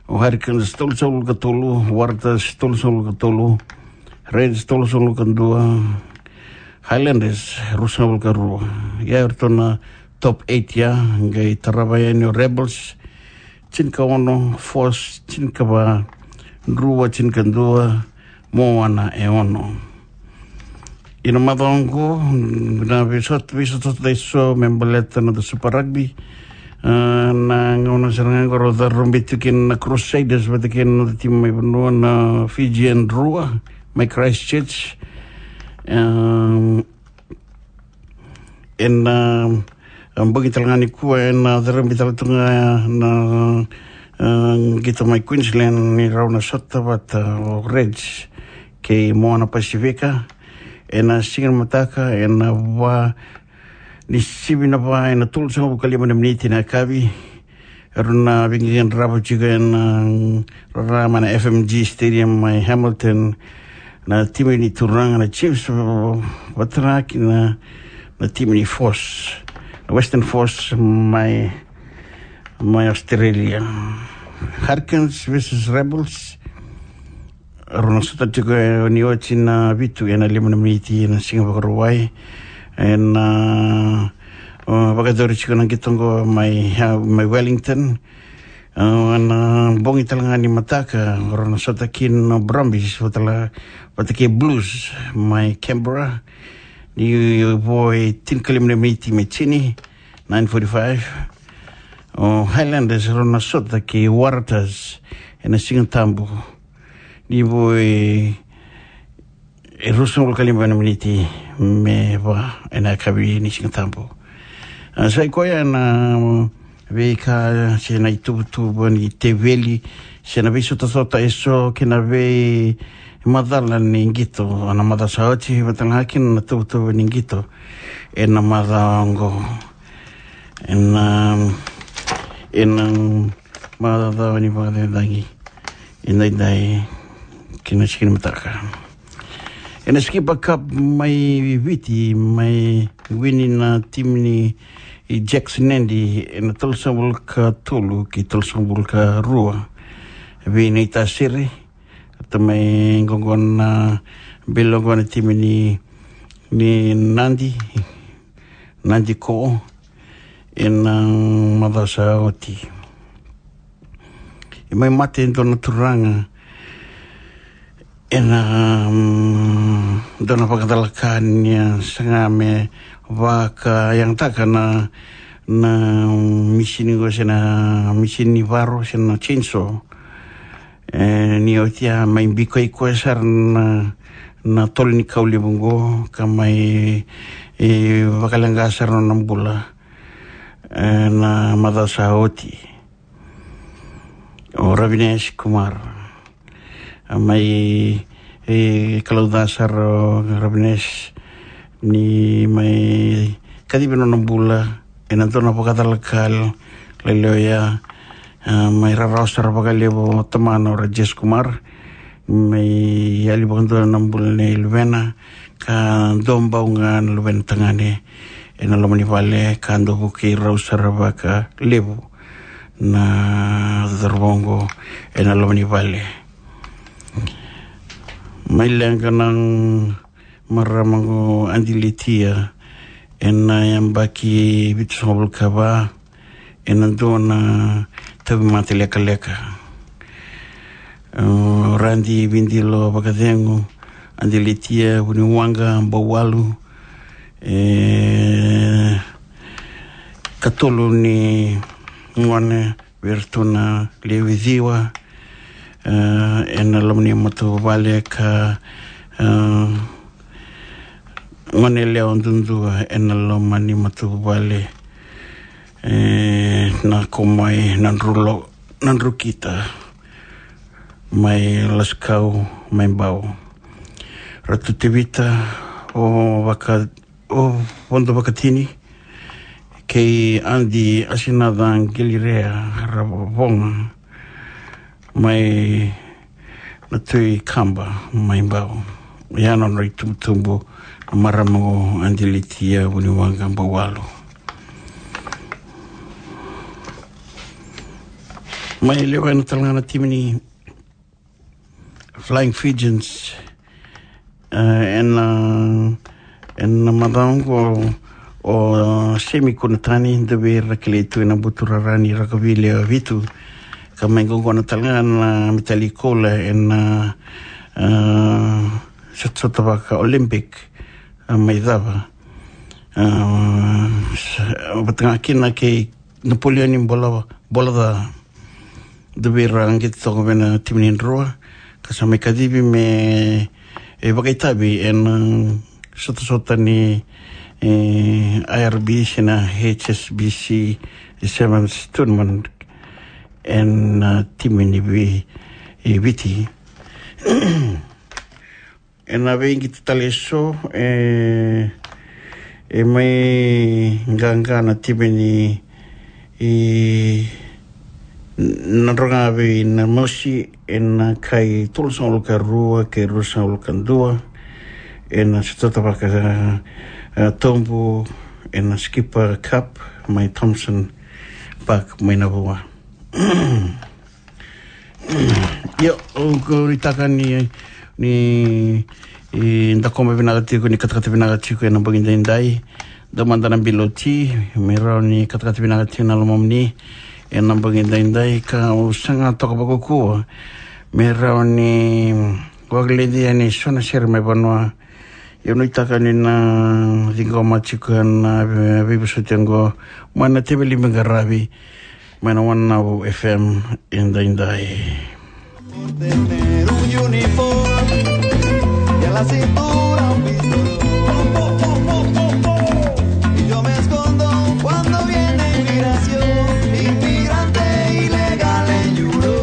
O Hurricanes tolusagavulu ka tolu, Waratahs tolusagavulu ka tolu, Reds tolusagavulu ka dua, Highlanders ruasagavulu ka rua. Ia eratou na top eight ya, qai tarava yani o Rebels tinikaono, Force tinikava, Drua tinikadua, Moana e ono. Ena macawa oqo na veisota, veisotasota eso me baleta na Super Rugby. Ah, na gauna sara ga oqo rau carobi tu kina na Crusaders vata kei na noda timi mai vanua na Fijian Drua mai Christchurch. Ehm, ena, ah, bogi tale ga nikua ena carobi tale tu ga na, ah, qito mai Queensland ni rau na sota vata o Reds kei Moana Pasifika. Ena siga ni mataka, ena va ni sivi na va, ena tolusagavulu ka lima na miniti na yakavi, erau na veiqaqaravi tiko ena rara mai na F M G Stadium mai Hamilton na timi ni turaga na Chiefs, vata kei na, na timi ni Force, na Western Force mai, mai Australia. Hurricanes versus Rebels, rau na sota tiko ni oti na vitu ena lima na miniti ena Siga Vakarauwai. Ena, ah, ah, vakayacori tiko na qito oqo mai, ah, mai Wellington. Ah, ena bogi tale ga ni mataka rau na sota kina na Brumbies vata la, vata kei Blues mai Canberra. Ni vo e tinikalima na miniti me tini, nine forty-five. O Highlanders rau na sota kei Waratahs ena Siga Tabu. Ni vo e, e ruasagavulu ka lima na miniti me va ena yakavi ni Siga Tabu. Ah, sa i koya na veika se na ituvatuva ni teveli se na veisotasota eso kei na veimacala ni qito ena macawa sa oti, vata ga kina na tuvatuva ni qito ena macawa oqo. Ena, ena macawa ni vakacacagi edaidai kei na siga ni mataka. Ena Skipper Cup mai Viti, mai wini na timi ni Jacks Nadi ena tolusagavulu ka tolu kei tolusagavulu ka rua. Vei Naitasiri, tamai qo na belo qo na timi ni, ni Nadi, Nadi ko ena macawa sa oti. E mai mate e dua na turaga ena, mm, dua na vakacalaka ni a saga me vakayagataka na, na misini qo se na misini varo se na chainsaw. E, ni oti a mai bikoi koya sara na, na tolo ni kau levu qo ka mai, e, vakaleqa sara na nona bula ena macawa sa oti. O Ravines Kumar a mai, e, kalou ca sara o Ravines ni mai kacivi nona bula ena dua na vakacalaka lailai oya. A, mai rarawa sara vakalevu o tamana o Rajesh Kumar, mai yali vakadua na bula nei luvena, ka dua bau ga na luvena tagane ena loma ni vale, ka dau vukei rau sara vakalevu na cauravou oqo ena loma ni vale. Mai leqa na marama qo Adi Litia, ena yabaki vitusagavulu ka va, ena dua na tauvimate lekaleka. O Radi Vidilo Vakacegu, Adi Litia Vuniwaqa Bauwalu, e, katolu ni gone vei iratou na lewe ciwa, e, ena loma ni matavuvale ka, e, gone yalewa duadua ena loma ni matavuvale, e, na ko mai Nadrulo-, Nadrukita, mai Lasikau, mai Bau. Ratu Tevita, o Vaka-, o Vodo Vakatini, kei Adi Asinaca Qilirea Ravoga, mai Natui Kaba, mai Bau. Ia na nodra itubutubu na marama qo Adi Litia Vuniwaqa Bauwalu. Mai lewena tale ga na timi ni Flying Fijians, e, ena, ena macawa qo o Semi Kunatani, dua vei ira kilai tu ena buturara ni rakavi lewe vitu, ka mai qoqona tale ga na metali koula ena, e, sotasota vaka Olympic, e, mai cava. E, sa-, vata ga kina kei Napoleoni Bola, Bolaca, dua vei ira a qito toka vei na timi ni Drua, ka sa mai kacivi me, e, vakaitavi ena, e, sotasota ni, e, I R B C na H S B C Sevens Tournament ena, e, timi ni Vi-, e, Viti. Ena veiqito tale eso, e, e mai qaqa na timi ni, e, Nadroga vei Namosi, ena kai tolusagavulu ka rua kei ruasagavulu ka dua, ena sotasota vaka, e, Tobu, ena Skipper Cup, mai Thomson Park, mai Navua. Io, au nuitaka ni, ni, e, da koma vinaka tiko, ni katakata vinaka tiko ena bogi daidai. Dua mada na bilo ti, me rawa ni katakata vinaka tiko na lomamuni ena bogi daidai, ka au saga toka vakaukauwa me rawa ni vakaledia ni so na sere mai vanua. Au nuitaka ni na ciqoma tiko na vei-, veivosoti oqo mai na teveli me qaravi mai na One Navu F M edaidai. Tener un uniforme y a la cintura un pistolón. Y yo me escondo cuando viene inmigración, inmigrante ilegal en Yuro.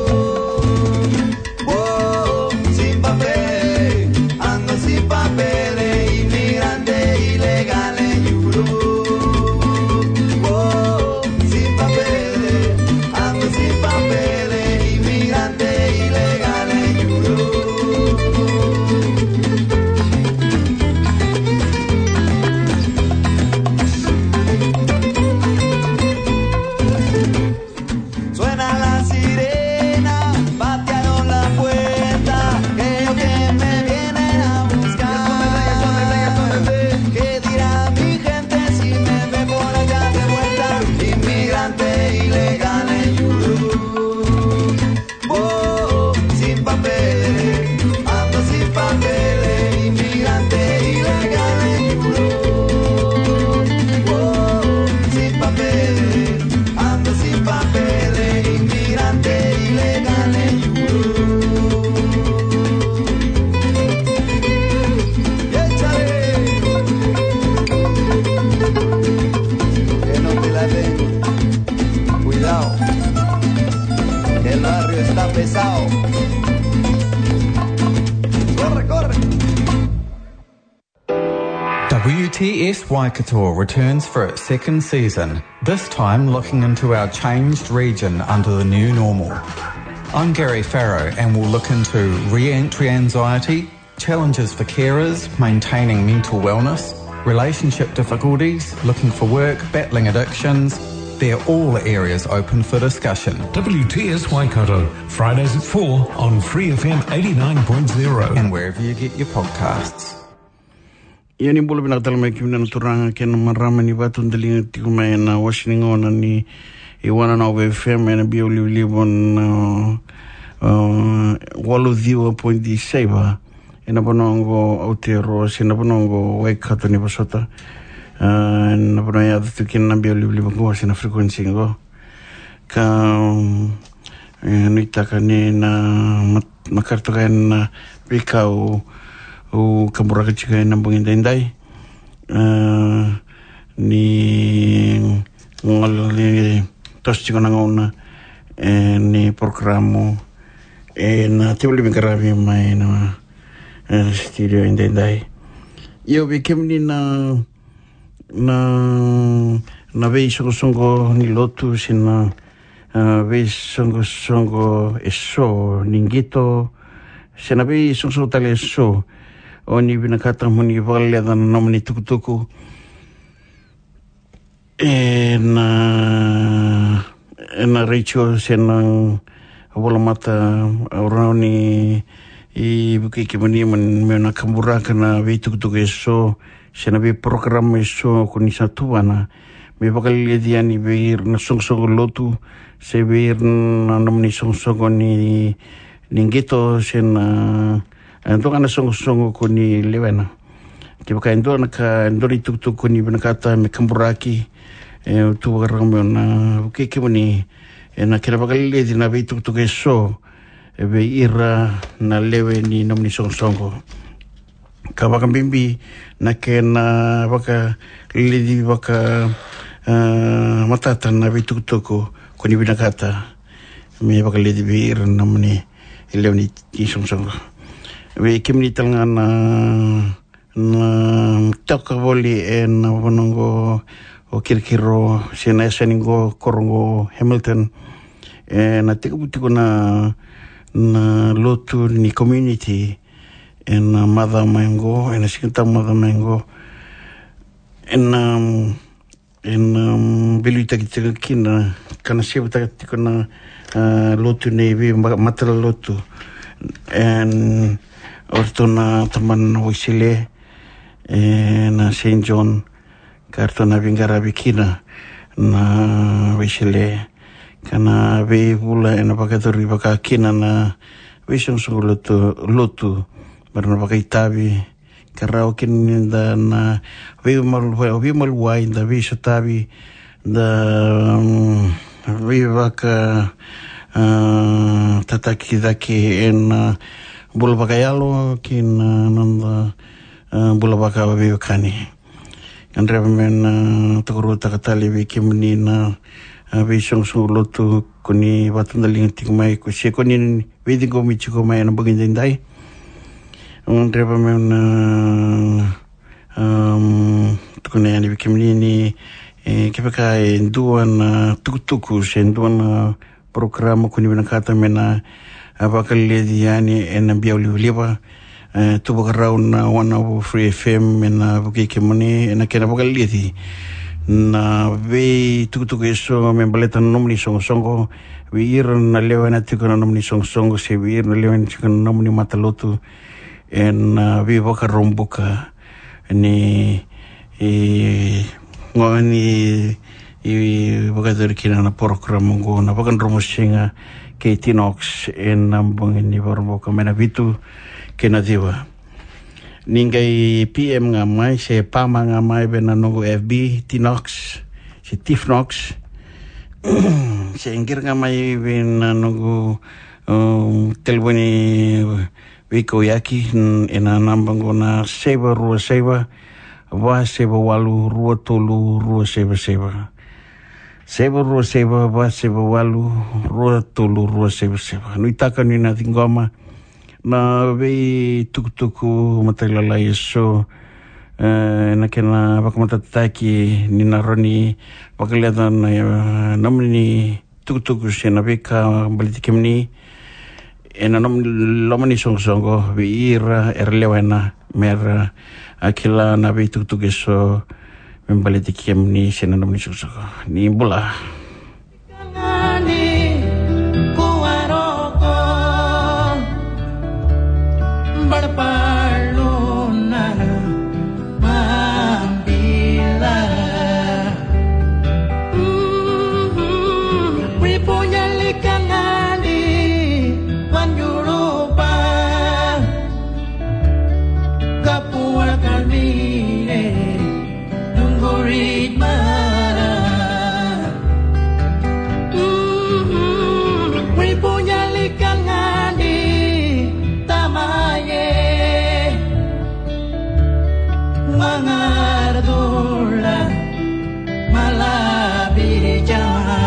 Oh, sin papel, ando sin papel, inmigrante ilegal en Yuro. Oh, sin papel, ando sin papel, inmigrante ilegal en Yuro. Suena la sirena, patearon la puerta, creo que me vienen a buscar. ¿Qué dirá mi gente si me ve por allá de vuelta? Inmigrante ilegal en Yurú. Oh, sin papeles, ando sin papeles, inmigrante ilegal en Yurú. Oh, sin papeles, ando sin papeles, inmigrante ilegal en Yurú. Y échale. Que no te la den. Cuidado. El barrio está pesado. Corre, corre. W T S Waikato returns for its second season, this time looking into our changed region under the new normal. I'm Gary Farrow and will look into re-entry anxiety, challenges for carers, maintaining mental wellness, relationship difficulties, looking for work, battling addictions. They're all areas open for discussion. W T S Waikato, Fridays at four on Free F M eighty-nine point zero. And wherever you get your podcasts. Ia ni bula vinaka tale mai kemuni na turaga kei na marama ni vakatudaliga tiko mai ena wase ni gauna ni Iwana na Ova F M ena biau livaliva na, uh, walu ciwa poidi saiva. Ena vanua oqo Aotearoa se na vanua oqo Waikato ni vosota. Uh, na vanua e yaco tu kina na biau livaliva oqo se na frequency oqo. Ka, um, e, nuitaka ni na mat-, makare toka ena veika au, au kaburaka tiko ena bogi daidai. E, ni gole ni toso tiko na gauna, e, ni porokaramu, e, na teveli veiqaravi mai na, e, studio e daidai. Io, vei kemuni na na, na veisoqosoqo ni lotu se na, ah, veisoqosoqo eso ni qito se na veisoqosoqo tale eso o ni vinakata mo ni vakaleca na nomuni tukutuku ena, ena retio se na volamata, au rawa ni vukei kemuni mo ni, mo na kaburaka na veitukutuku eso se na veiporokaramu eso ko ni sa tuvana me vakaleleci yani vei ira na soqosoqo lotu se vei ira na nomuni soqosoqo ni, ni qito se na, e, dua ga na soqosoqo ko ni lewena. Kevaka e dua na ka, e dua na itukutuku ko ni vinakata me kaburaki, e, au tu vakarau meu na vukei kemuni ena kena vakaleleci na veitukutuku eso, e, vei ira na lewe ni nomuni soqosoqo. Ka vakabibi na kena vakaleleci vaka, e, matata na veitukutuku ko ni vinakata me vakaleleci vei ira na nomuni lewe ni soqosoqo. Vei kemuni tale ga na, na toka voli ena vanua oqo o Kirikiri se na yasana oqo, koro oqo Hamilton. E, na tekivu tiko na, na lotu ni community ena macawa mai oqo, ena Siga Tabu macawa mai oqo. Ena, ena, um, veiliutaki tiko kina ka na sevutaka tiko na, ah, lotu nei vei ma-, matalotu. E, o ratou na tabana na Waisele, e, na Saint John, ka ratou na veiqaravi kina na Waisele, ka na veivula ena vakayacori vaka kina na veisoqosoqo lotu, lotu, me ra na vakaitavi, ka rawa kina ni da na veimal-, vei-, veimaliwai, da veisotavi, da, mm, veivaka, ah, tataki cake ena bula vakayalo kei na noda, ah, bula vakaveiwekani. Gadreva me na tokaruataka tale vei kemuni na, ah, veisoqosoqo lotu ko ni vakatudaliga tiko mai, ko se ko ni veiciqomi tiko mai ena bogi daidai. Gadreva me na, um, tukuna yani vei kemuni ni, e, kevaka e dua na tukutuku se dua na porokaramu ko ni vinakata me na, a, vakaleleci yani ena biau livaliva, e, tu vakarau na One Over Free F M me na vukei kemuni ena kena vakaleleci na veitukutuku eso me baleta na nomuni soqosoqo, vei ira na lewena tiko na nomuni soqosoqo se vei ira na lewena tiko na nomuni matalotu, ena, a, veivakaraubuka ni, e, gauna ni, e, vakayacori kina na porokaramu oqo na Vakadromo Siga kei Tinox ena bogi ni Vakaraubuka mai na vitu ki na ciwa. Ni qai P M ga mai se pama ga mai vei na noqu F B, Tinox se Tifnox, se qiri ga mai vei na noqu, um, telefoni veikauyaki, n-, ena naba oqo na saiva rua saiva, va saiva walu, rua tolu, rua saiva saiva. Saiva rua saiva, va saiva walu, rua tolu, rua saiva saiva. Nuitaka ni na ciqoma na veitukutuku matailalai eso, e, na kena vakamatatataki ni na rawa ni vakaleca na, e, nomuni tukutuku se na veika baleti kemuni, ena nom-, loma ni soqosoqo vei ira era lewena me ra, a, kila na veitukutuku eso me baleti kemuni se na nomuni soqosoqo. Ni bula. Mangardula, malabi jama.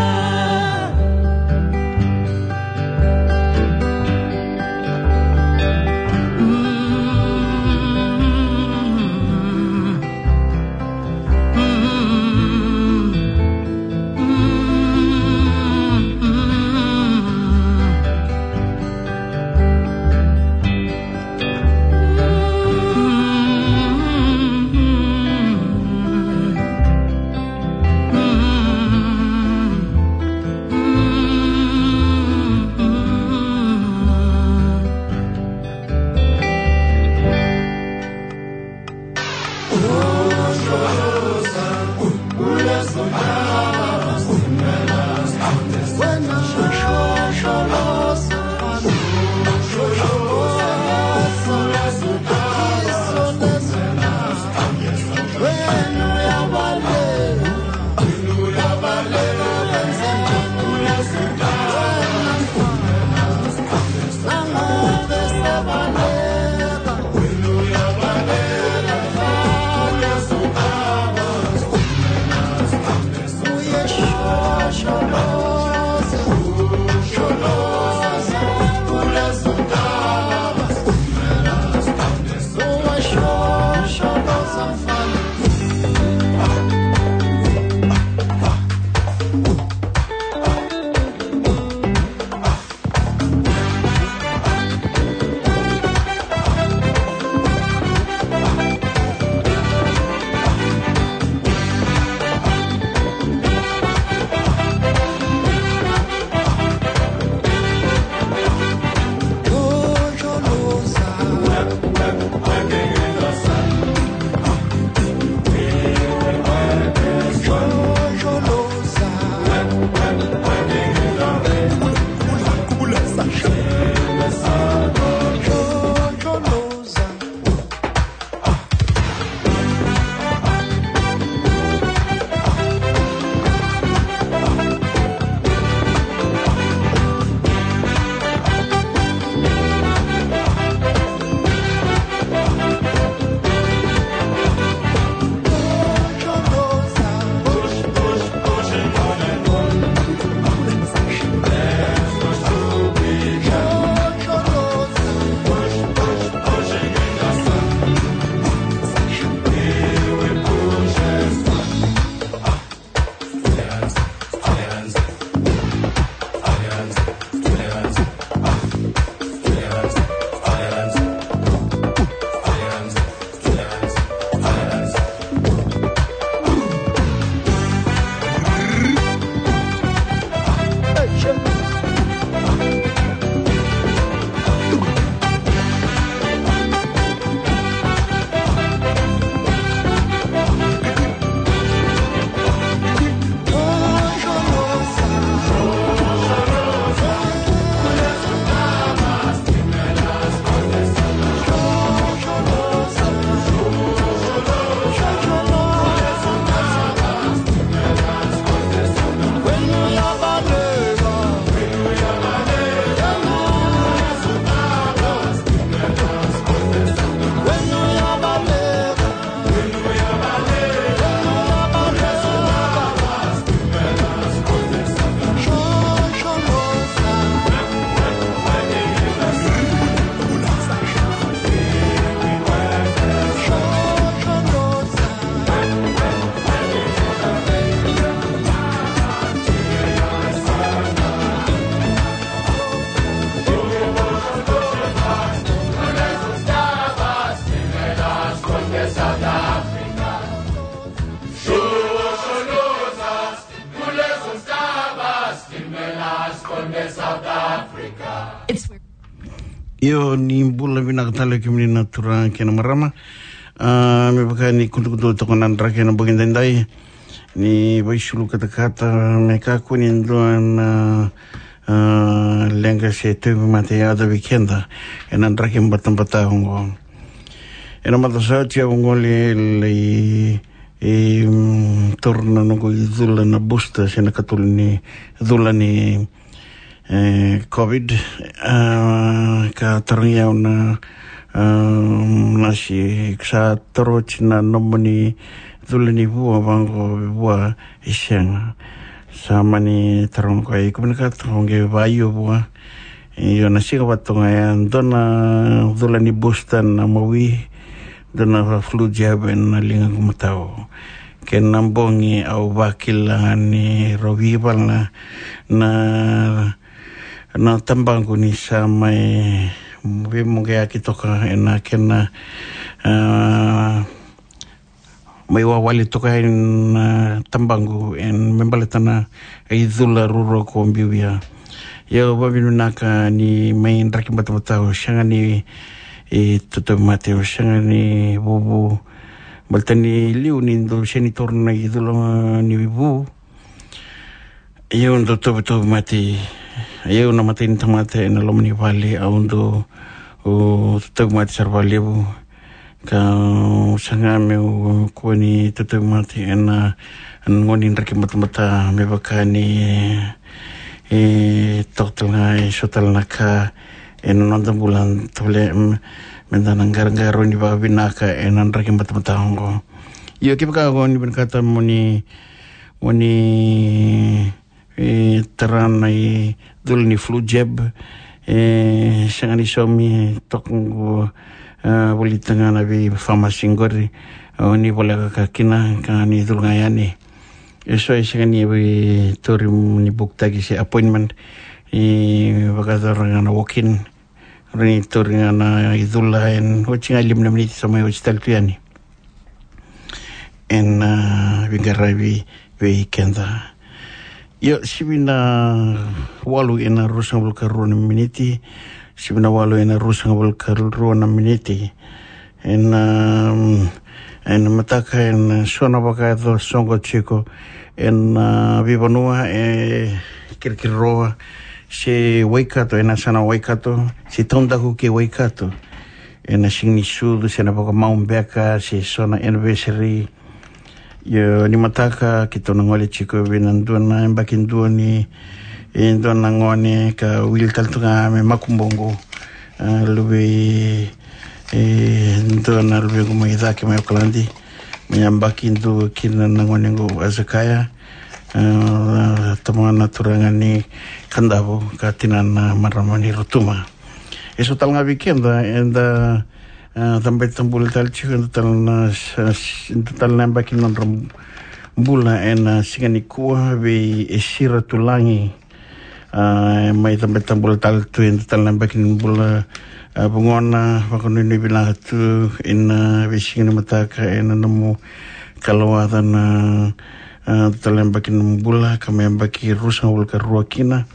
Io, ni bula vinaka tale kemuni na turaga kei na marama. A, me vaka ni kudukudu toka na draki ena bogi daidai. Ni vaisulu katakata me kakua ni dua na, a, leqa se tauvimate yaco vei keda ena draki batabata oqo. Ena macawa sa oti au qoli lai, e, mm, taura na noqu icula na booster se na katolu ni cula ni, e, COVID. A, ka tarogi au na Nasi, sa taro oti na nomuni cula ni vua vaqo, vua, e sega. Sa mani taroga o koya, iko vinakata o qai vaio vua? Io, na siga vata ga ya, dua na cula ni booster na mawi, dua na flu jab ena ligaqu matau. Kena bogi au vakila ni rau veivala na, na tabaqu ni sa mai veimoqeaki toka ena kena, a, mai wawale toka ena tabaqu, e, me baleta na icula ruarua ko biu ya. Ia au vakavinavinaka ni mai draki batabata, au sega ni, e, tatauvimate, au sega ni vuvu. Baleta ni liu ni dau sega ni taura na icula ni vu, au dau tauvimate. Au na imatai ni tamata ena loma ni vale, au dau, o, tauvimate sara vakalevu. Ka, o, saga meu kua ni tauvimate ena, ena gauna ni draki batabata, me vaka ni, e, toka tale ga e so tale na ka ena noda bula, tavale, mm, meda na qaraqarauni vakavinaka ena draki batabata oqo. Io, kevaka o ni vinakata mo ni, mo ni, e, tara na icula ni flu jab, e, sega ni saumi, toka qo, e, volita ga na veifamasi qori, o ni voleka ka kina, ka ni cula ga yani. E so e sega ni via tauri ni bukitaki se appointment, e, vakayacora ga na walk-in. Rawa ni tauri ga na icula ena oti ga e lima na miniti, sa mai oti tale tu yani. Ena, a, veiqaravi vei keda. Io, sivi na walu ena ruasagavulu ka rua na miniti. Sivi na walu ena ruasagavulu ka rua na miniti. Ena, a, ena mataka, ena so na vakayaco soqo tiko ena, a, veivanua e Kirikiriroa se Waikato, ena yasana Waikato, se Taudaku kei Waikato, ena Siganisucu, se na vakamau beka, se so na anniversary. Io, ni mataka keitou na gole tiko vei na dua na yabaki dua ni, e, dua na gone ka wili tale tu ga me makubuqu. A, luve, e, dua na luvequ mai cake mai Okaladi, mai yabaki dua kina na gone qo, Azakaya. A, tama na turaga ni Kadavu ka tinana marama ni Rotuma. E so tale ga vei keda eda, a, cabe tabula tale tiko, eda tale na, sa, s-, eda tale na yabaki ni nodra bula ena siga nikua vei Esira Tulagi. A, mai cabe tabula tale tu, eda tale na yabaki ni bula, a, vugona, vakanuinui vinaka tu ena veisiga ni mataka ena nomu kalowaca na, a, tale na yabaki ni bula, ka mai yabaki ruasagavulu ka rua kina.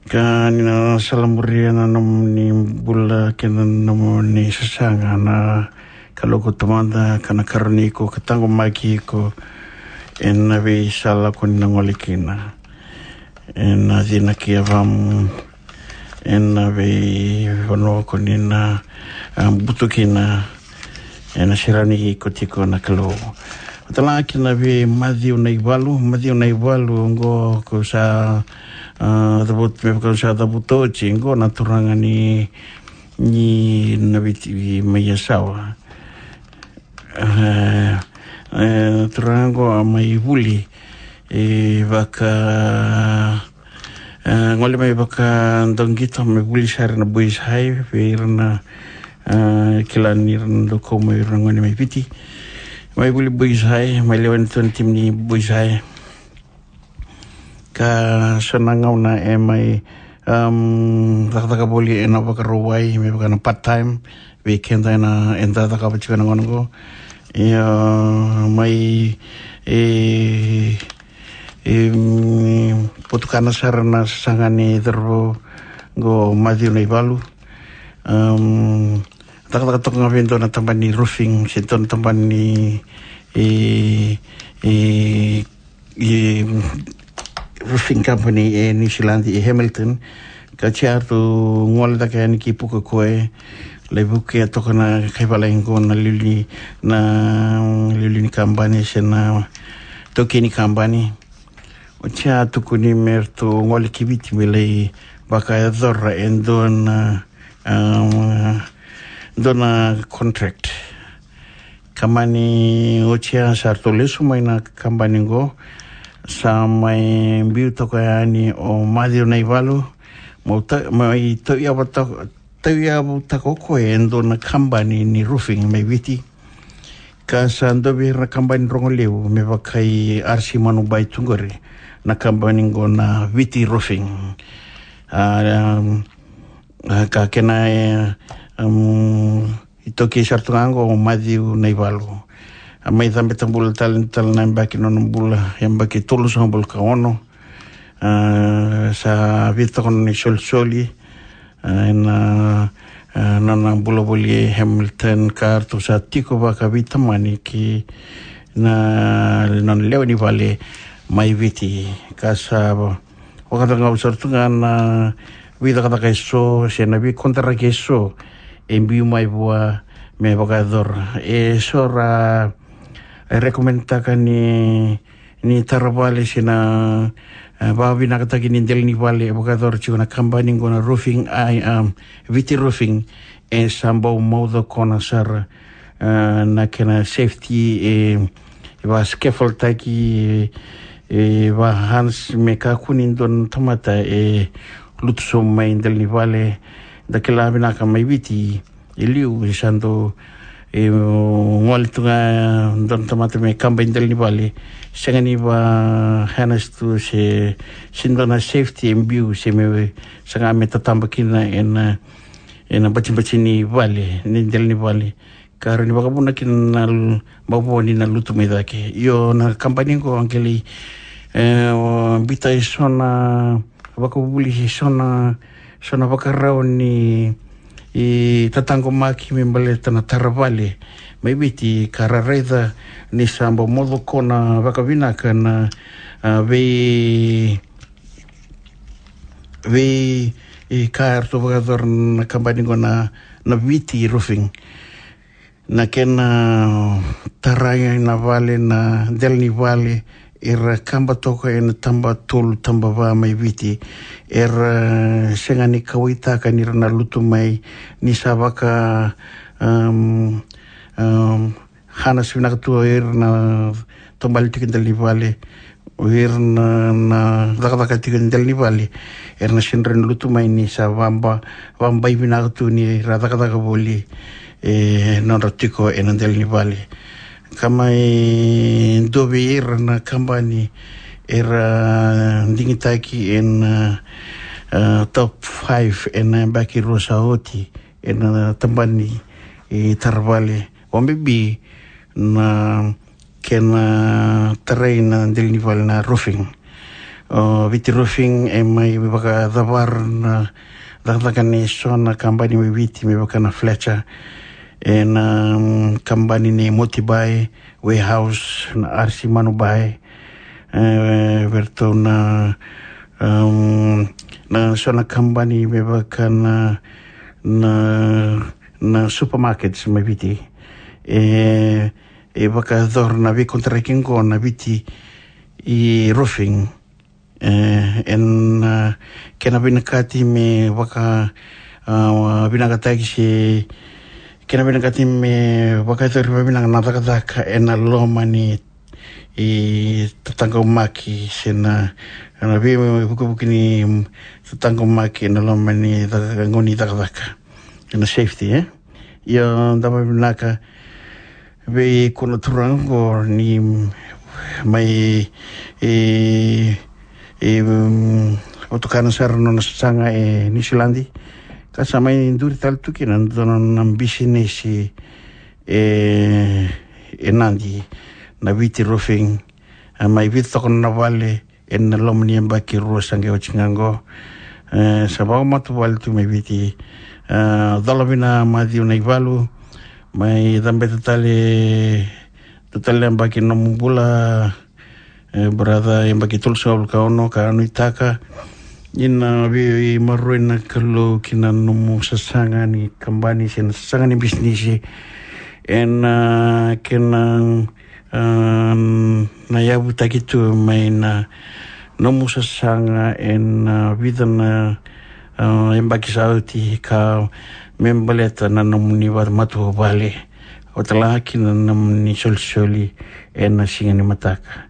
Ka ni na salamuria na nomuni bula kei na nomuni sasaga na Kalou ko Tamada, ka na karoni iko, ka taqomaki iko ena veisala ko ni na gole kina, ena cina kei yavamu, ena veivanua ko ni na, a, butu kina, ena sirani iko tiko na Kalou. Vata tale ga kina vei Maciu Naivalu, Maciu Naivalu, oqo ko sa, a, cavuta, me vaka sa cavuta oti, oqo na turaga ni, ni Naviti mai Yasawa. E, e, turaga oqo a mai vuli, e, vaka, e, gole mai vaka Dauqito, mai vuli sara na Boys High, vei ira na, e, kila ni ira na dau kau mai, ira na gone mai Viti. Mai vuli Boys High, mai lewe ni timi ni Boys High. Ka so na gauna e mai, um, cakacaka voli ena Vakarauwai, me vaka na part time, vei keda ena, eda cakava tiko ena gauna oqo. Ia, mai, e, e, mm, potukana sara na sasaga ni cauravou qo Maciu Naivalu. Um, cakacaka toka ga vei dua na tabana ni roofing, se dua na tabana ni, e, e, e, roofing company e New Zealand, e Hamilton. Ka oti a ratou gole cake yani ki Pukekohe, lai vukea toka na kai valagi qo na liuliu ni, na liuliu ni kabani se na taukei ni kabani. Oti a tukuni me ratou gole ki Viti me lai vakayacora e dua na, um, dua na contract. Ka mani oti ya sa ratou lesu mai na kabani qo, sa mai biu toka yani o Maciu Naivalu, mai tau, mai tauyavu toka, tauyavu toka o koya e dua na kabani ni roofing mai Viti. Ka sa dua vei ira na kabani rogo levu me vaka i R C Manubai tu qori, na kabani qo na Viti Roofing. A, um, a, ka kena, e, um, iTaukei sara tu ga qo o Maciu Naivalu. A mai cabe tabula tale, tale na yabaki nona bula, yabaki tolusagavulu ka ono. A, sa vica toka na isolisoli, a, ena, a, nona bula voli e Hamilton, ka ratou sa tiko vakaveitamani ki na nona lewe ni vale mai Viti. Ka sa vakacagau sara tu ga na veicakacaka eso se na veikontaraki eso e biu mai vua me vakayacora. Eso ra recommendtaka ni, ni tara vale se na, e, vakavinakataki ni dela ni vale e vakayacora tiko na kabani qo na roofing, ai, um, Viti Roofing, e sa bau maucokona sara, e, na kena safety, e, e vaka scaffoldtaki, e, e vaka harness me kakua ni dua na tamata e lutu sobu mai dela ni vale. Da kila vinaka mai Viti e liu e sa dau, e, gole tu ga dua na tamata me kaba i dela ni vale, sega ni vaka harness tu se, se dua na safety e biu se me saga me tataba kina ena, ena batibati ni vale, ni dela ni vale. Ka rawa ni vakavuna kina na l-, mavoa ni na lutu mai cake. Io, na kabani qo a qai lai, e, o, biuta eso na vakavuvuli, eso na, eso na vakarau ni, i, tataqomaki me baleta na tara vale mai Viti, ka ra raica ni sa bau maucokona vakavinaka na, a, vei, vei, i, ka eratou vakayacora na kabani qo na, na Viti Roofing. Na kena tarai na vale, na dela ni vale, era kaba toka ena taba tolu, taba va mai Viti. Era sega ni kauwaitaka ni ra na lutu mai ni sa vaka, um, um, harness vinaka tu o ira na taubale tiko e dela ni vale, o ira na, na cakacaka tiko e dela ni vale, era na sega ni lutu mai ni sa vaba, vabai vinaka tu ni ra cakacaka voli, e, nodra tiko ena dela ni vale. Ka mai dua vei ira na kabani era digitaki ena, e, top five ena yabaki rua sa oti ena tabana ni, e, tara vale. Vakabibi na kena tarai na dela ni vale na roofing. O Viti Roofing e mai vakacavara na cakacaka ni so na kabani mai Viti me vaka na Fletcher, ena, mm, kabani ni Motobai, Warehouse, na R C Manubai, e, vei ratou na, um, na so na kabani me vaka na, na, na supermarkets mai Viti. E, e vakayacora na veikontaraki qo na Viti Roofing. E, ena, e, kena vinakati me vaka, a, vinakataki se kena vinakati me vakayacori vakavinaka na cakacaka ena loma ni, e, tataqomaki se na, na veivukevuke ni tataqomaki ena loma ni caka, gauna ni cakacaka. Ena safety, e? Ia, da vakavinavinaka vei koya na turaga qo ni mai, e, e, mm, vatukana sara na nona sasaga e Niusiladi. Ka sa mai duri tale tu kina na nona bisinisi e, e Nadi, na Viti Roofing. A mai vica toka na vale ena loma ni yabaki rua sa qai oti ga qo. E, sa vakamatavuvale tu mai Viti. E, cola vina Maciu Naivalu, mai cabeta tale, tu tale na yabaki na nomu bula, e, brother, yabaki tolusagavulu ka ono, ka nuitaka ni na veimaroroi na Kalou ki na nomu sasaga ni kabani se na sasaga ni bisinisi. Ena, e, kena, e, na yavutaki tu mai na nomu sasaga ena, e, vica na, e, yabaki sa oti ka me baleta na nomuni vakamatavuvale, vata tale ga kina na nomuni solisoli ena siga ni mataka.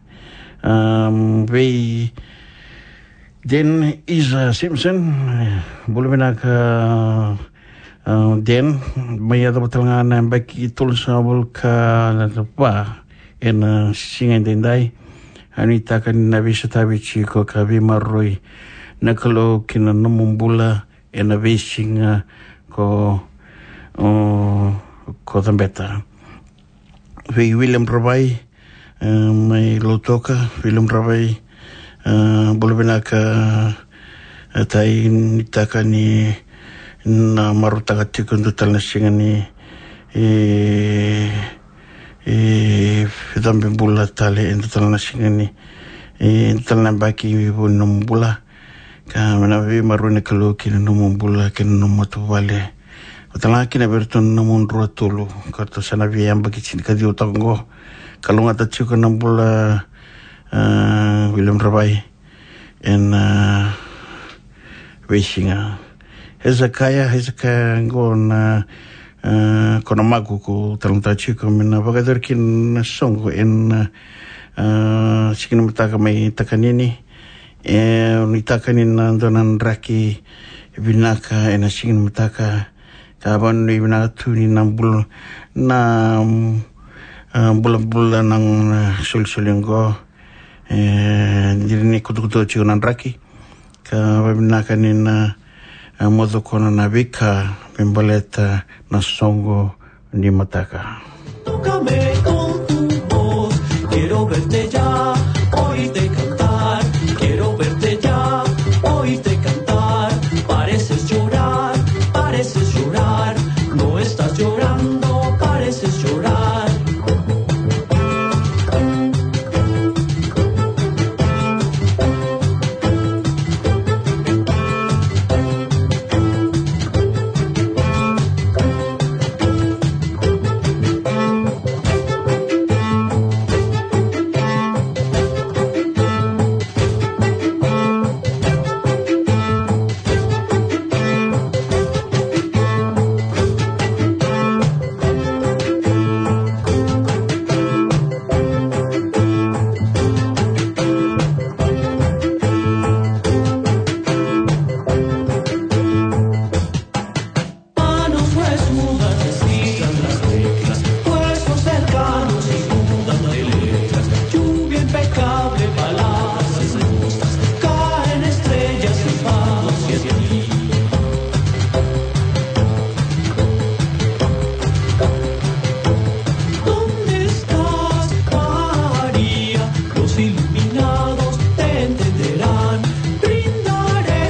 Am, vei Den Isa Simpson, bula vinaka, a, Den, mai yacova tale ga na yabaki tolusagavulu ka va ena siga edaidai. Au nuitaka ni na veisotavi tiko ka veimaroroi na Kalou ki na nomu bula ena veisiga ko, o, ko cabeta. Vei William Ravai, e, mai Lautoka, William Ravai, e, bula vinaka, e, tai, nuitaka ni na marautaka tiko dua tale na siga ni, e, e, cabe bula tale, e dua tale na siga ni, e dua tale na yabaki vou ni nomu bula. Ka me na veimaroroi na Kalou ki na nomu bula, ki na nomu matavuvale. Vata tale ga kina vei iratou na nomu drua tolu, ka ratou sa na via yabaki tinikaciwa toka qo. Kalougata tiko na bula, a, William Ravai ena, a, veisiga. Hezekaia, Hezekaia qo na, a, ko na maku ko talanoataka tiko me na vakayacori kina na soqo ena, a, siga ni mataka mai Takanini. E, nuitaka ni na dua na draki vinaka ena siga ni mataka. Ka vakanuinui vinaka tu ni na bula, na, mm, a, bulabula na, na solisoli qo. E, dina ni kutukutu tiko na draki. Ka vakavinaka ni na, a, moce kina na veika me baleta na soqo ni mataka. Tócame con tu voz, quiero verte ya, oírte cantar, quiero verte ya, oírte cantar. Pareces llorar, pareces llorar, no estás llorando, pareces llorar. Manos huesudas, estira las teclas, huesos cercanos inundan de letras, lluvia impecable, palabras hermosas, caen estrellas y palos y así. ¿Dónde estás, María? Los iluminados te entenderán. Brindaré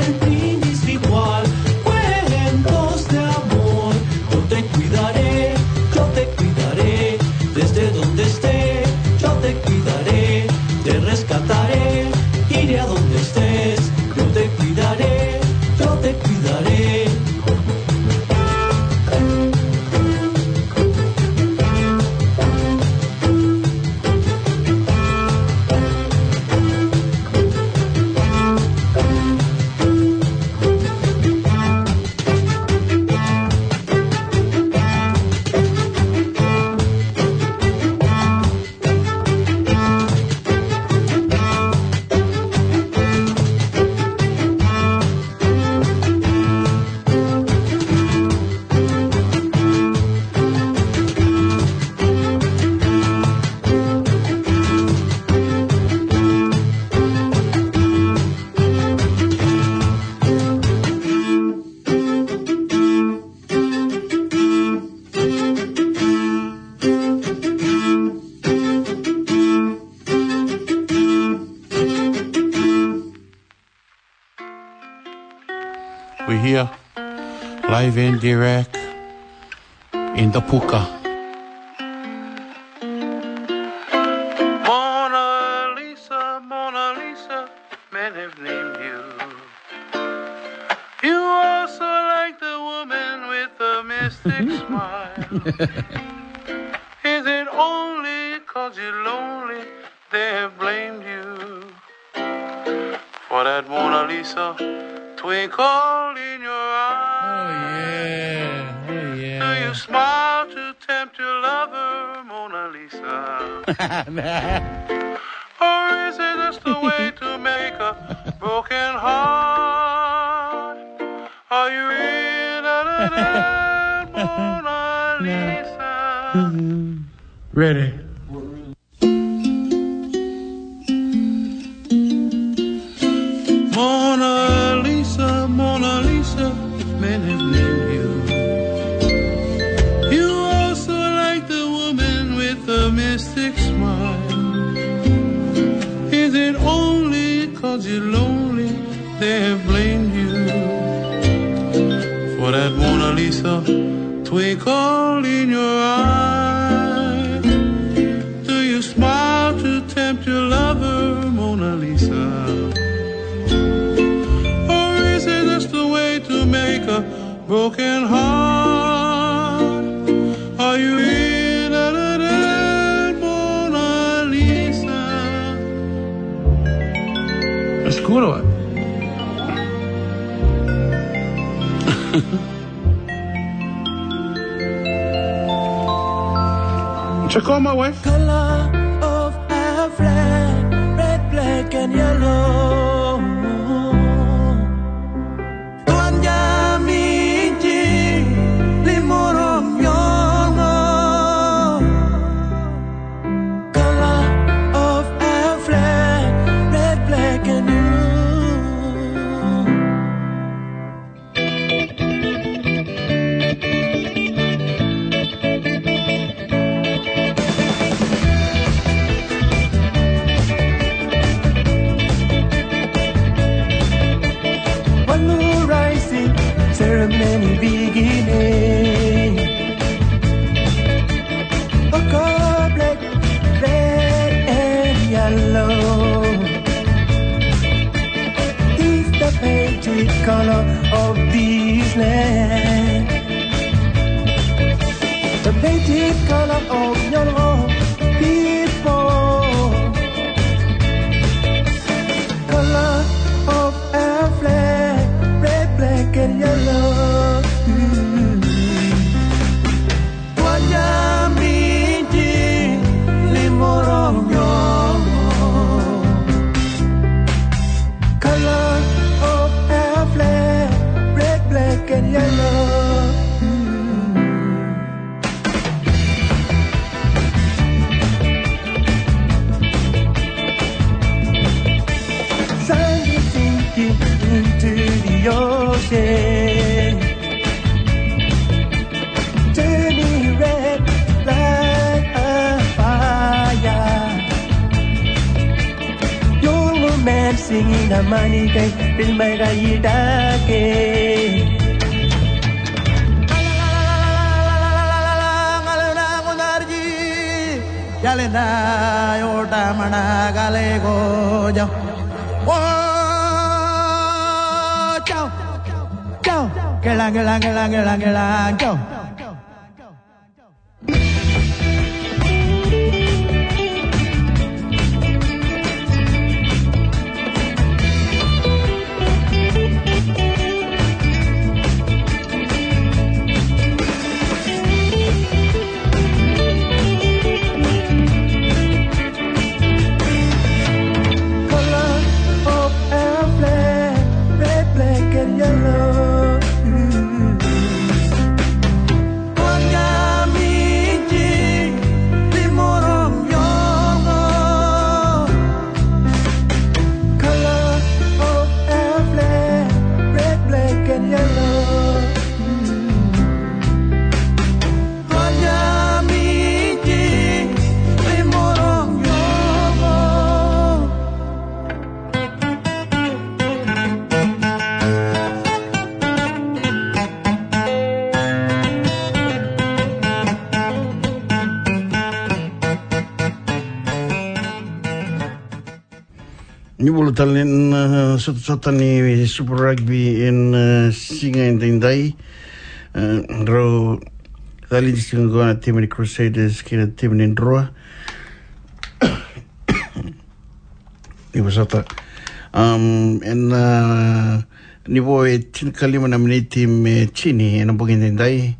el brindis ritual, cuentos de amor. Yo te cuidaré, yo te cuidaré, desde donde esté, yo te cuidaré, te rescataré, iré a donde estés. Yo te cuidaré, yo te cuidaré. We here, live and direct in the Puka. Mona Lisa, Mona Lisa, men have named you. You are so like the woman with the mystic smile. Is it only 'cause you're lonely they have blamed you for that Mona Lisa twinkle in your eye? Smile to tempt your lover, Mona Lisa. Or is it just a way to make a broken heart? Are you in, Mona Lisa? Ready. Mona Lisa, Mona Lisa, men have named you. You also like the woman with the mystic smile. Is it only 'cause you're lonely they have blamed you for that Mona Lisa twinkle in your eye? Do you smile to tempt your lover, Mona Lisa? Or is it just a way to make a broken heart? Are you in, Mona Lisa? That's cool, what? Check on my wife. Color of our flag, red, black, and yellow. Tuanja miti, limorom yongo. Color of our flag, red, black, and yellow. Walu rising, ceremony beginning. Oko black, red and yellow. It's the painted color of this land. The painted color of your people. Color of our flag, red, black, and yellow. Tuanya miti, limorong yongo. Color of our flag, red, black, and yellow. Sun is sinking into the ocean, turning red like a fire. Young man singing a money day, feel my guy. Yalena yota mana galego jau. Oh, jau, jau. Kelang, kelang, kelang, kelang, kelang, jau. Color of our flag, red, black, and yellow. Color of our flag, red, black, and yellow. Ni bula tale na, uh, sotasota ni Super Rugby ena, uh, siga edaidai. Uh, rau cali ni siga qo na timi ni Crusaders kei na timi ni Drua. Ni vosota. Um, ena, uh, ni vo e tinikalima na miniti me tini ena bogi edaidai.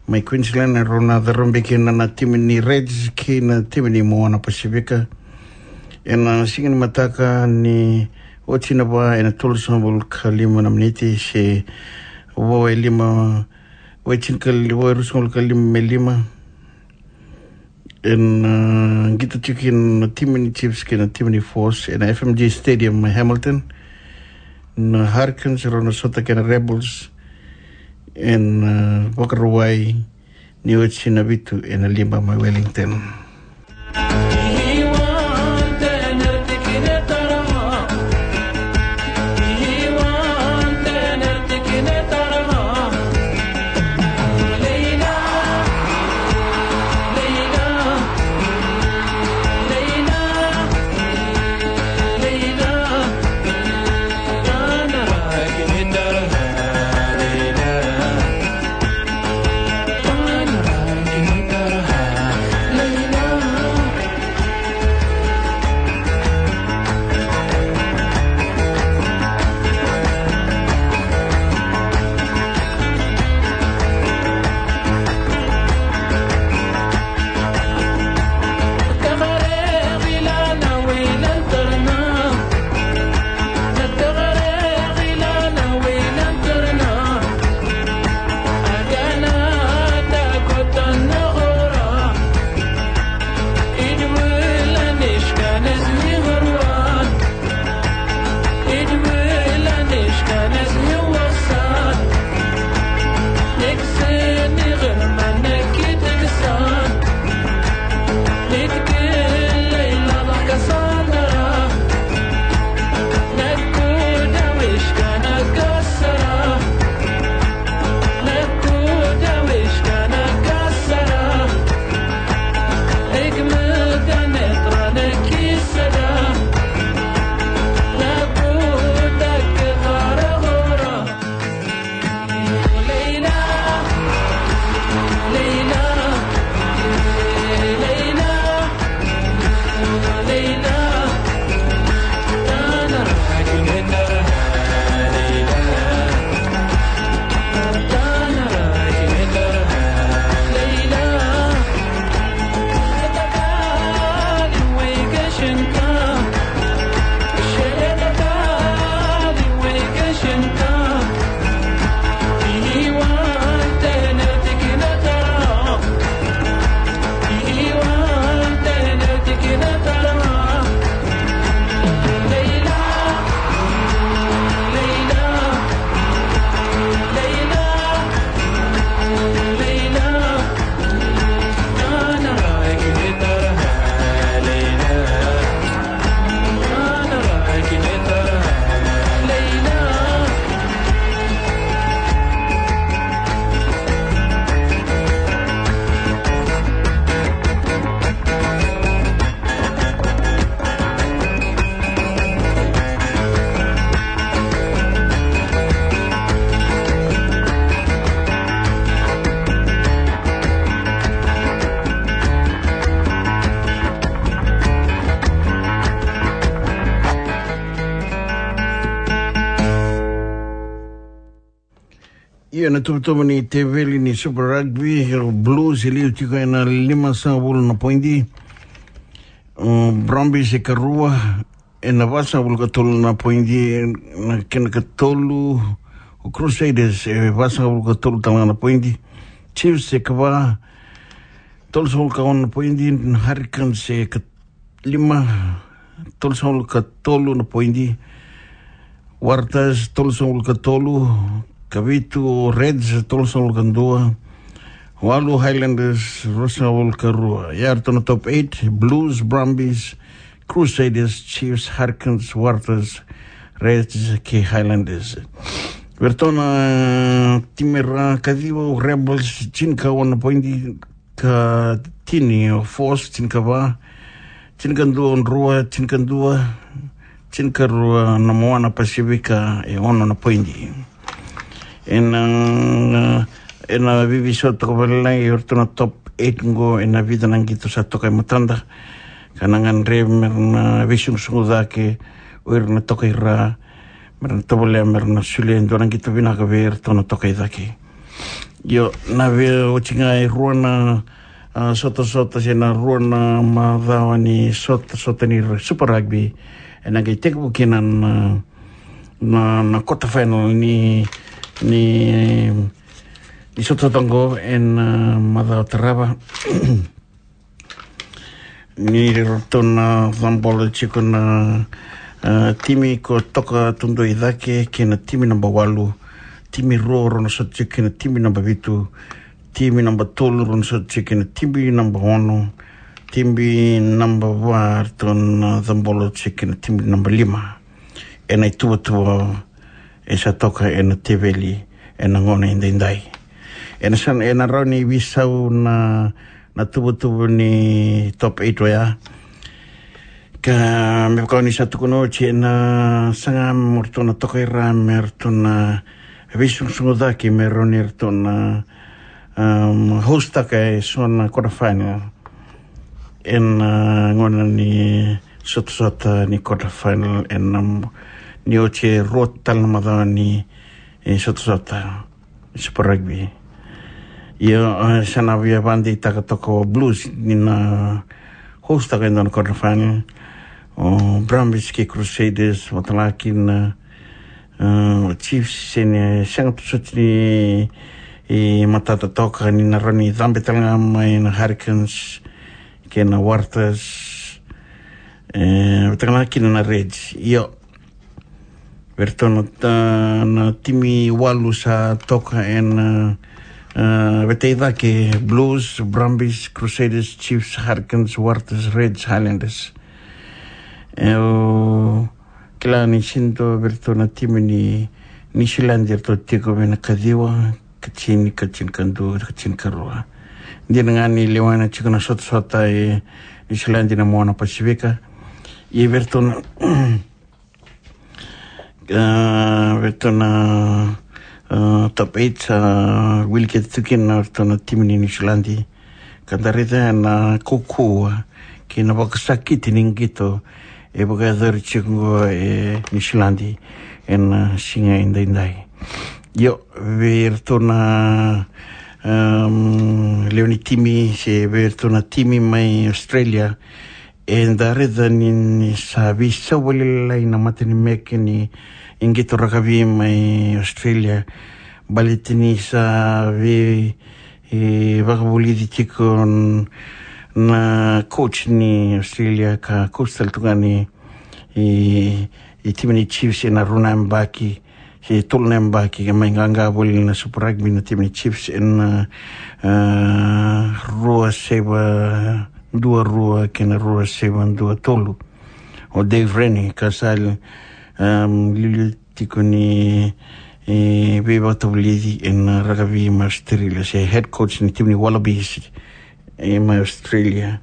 Mai Queensland, e rau na carabe kina na timi ni Reds kei na timi ni Moana Pasifika. Ena siga ni mataka ni oti na va ena tolusagavulu ka lima na miniti se vo e lima, vo e tinikali-, vo e ruasagavulu ka lima me lima. Ena, ah, qito tiko kina na timi ni Chiefs kei na timi ni Force ena F M G Stadium mai Hamilton. Na Hurricanes rau na sota kei na Rebels ena, ah, Vakarauwai ni oti na vitu ena lima mai Wellington. Ia na tuvatuva ni teveli ni Super Rugby, o Blues e liu tiko ena limasagavulu na poidi. O Brumbies e karua ena vasagavulu ka tolu na poidi, na kena katolu. O Crusaders e vasagavulu ka tolu tale ga na poidi. Chiefs e kava, tolusagavulu ka ono na poidi. Hurricanes e ka lima, tolusagavulu ka tolu na poidi. Waratahs, tolusagavulu ka tolu. Kavitu Reds, tolusagavulu ka dua. Walu Highlanders, ruasagavulu ka rua. Ia eratou na top eight: Blues, Brumbies, Crusaders, Chiefs, Hurricanes, Waratahs, Reds kei Highlanders. Eratou na timi ra kaciva: o Rebels, tinikaono na poidi, ka tini o Force, tinikava, tinikadua o Drua, tinikadua, tinikarua na Moana Pasifika, e ono na poidi. Ena, ena veiveisau toka vakalailai o iratou na top eight qo ena vica na qito sa toka e matada. Ka na gadrevi me ra na veisugusugu cake o ira na toka i ra, me ra na tovolea me ra na solia e dua na qito vinaka vei iratou na toka i cake. Io, na via oti ga e rua na, ah, sotasota se na rua na macawa ni sotasota ni Super Rugby. E na qai tekivu kina na, na, na quarter final ni, ni, ni sotasota qo e na, ah, macawa tarava. Ni ratou na cabolo tiko na, ah, timi ko toka tudua i cake kei na timi namba walu. Timi rua rau na sota tiko kei na timi namba vitu. Timi namba tolu rau na sota tiko kei na timi namba ono. Timi namba va ratou na cabolo tiko kei na timi namba lima. E na ituvatuva e sa toka e na teveli e na gauna e daidai. E na sa, e na rawa ni veisau na, na tuvatuva ni top eight oya. Ka me vaka ni sa tukuna oti, e na saga mo ratou na toka i ra me ratou na veisugusugu cake me rawa ni ratou na, um, host taka e so na quarter final. E na, ah, gauna ni sotasota ni quarter final e na, ni oti e rua tale na macawa ni, eh, sotasota Super Rugby. Io, eh, sa na via vakadeitaka toka o Blues ni na host taka e dua na quarter final. O Brumbies kei Crusaders, vata kina, eh, o Chiefs, se ni sega tu soti ni, eh, matata toka ni na rawa ni cabe tale ga mai na Hurricanes kei na Waratahs, eh, vata kina na Reds. Io, vei ratou na, na timi walu sa toka e na, eh, veta i cake: Blues, Brumbies, Crusaders, Chiefs, Hurricanes, Waratahs, Reds, Highlanders. E, o kila ni sega ni dua vei ratou na timi ni Niusiladi e ratou tiko mai na kaciwa, katini, katini ka dua, katini ka rua. Dina ga ni lewena tiko na sotasota e Niusiladi na Moana Pasifika. Ia vei ratou na, ah, vei ratou na, ah, top eight, ah, wiliki tu kina vei ratou na timi ni Niusiladi. Ka da raica na kaukauwa kei na vakasakiti ni qito e vakayacori tiko qo e Niusiladi e na siga e daidai. Io, vei ratou na, um, lewe ni timi se vei ratou na timi mai Australia, e da raica ni, ni sa veisau vakalailai na matanimeke ni, ni qito rakavi mai Australia. Baleta ni sa vei, e, vakavulici tiko n-, na coach ni Australia ka coach tale tu ga ni, e, e timi ni Chiefs e na rua na yabaki se tolu na yabaki, ka mai qaqa voli na Super Rugby na timi ni Chiefs e na, ah, rua saiva dua rua kei na rua saiva dua tolu. O Dave Rennie ka sa, um, liuliu tiko ni, e, veivakatavulici e na rakavi mai Australia, se head coach ni timi ni Wallabies e mai Australia.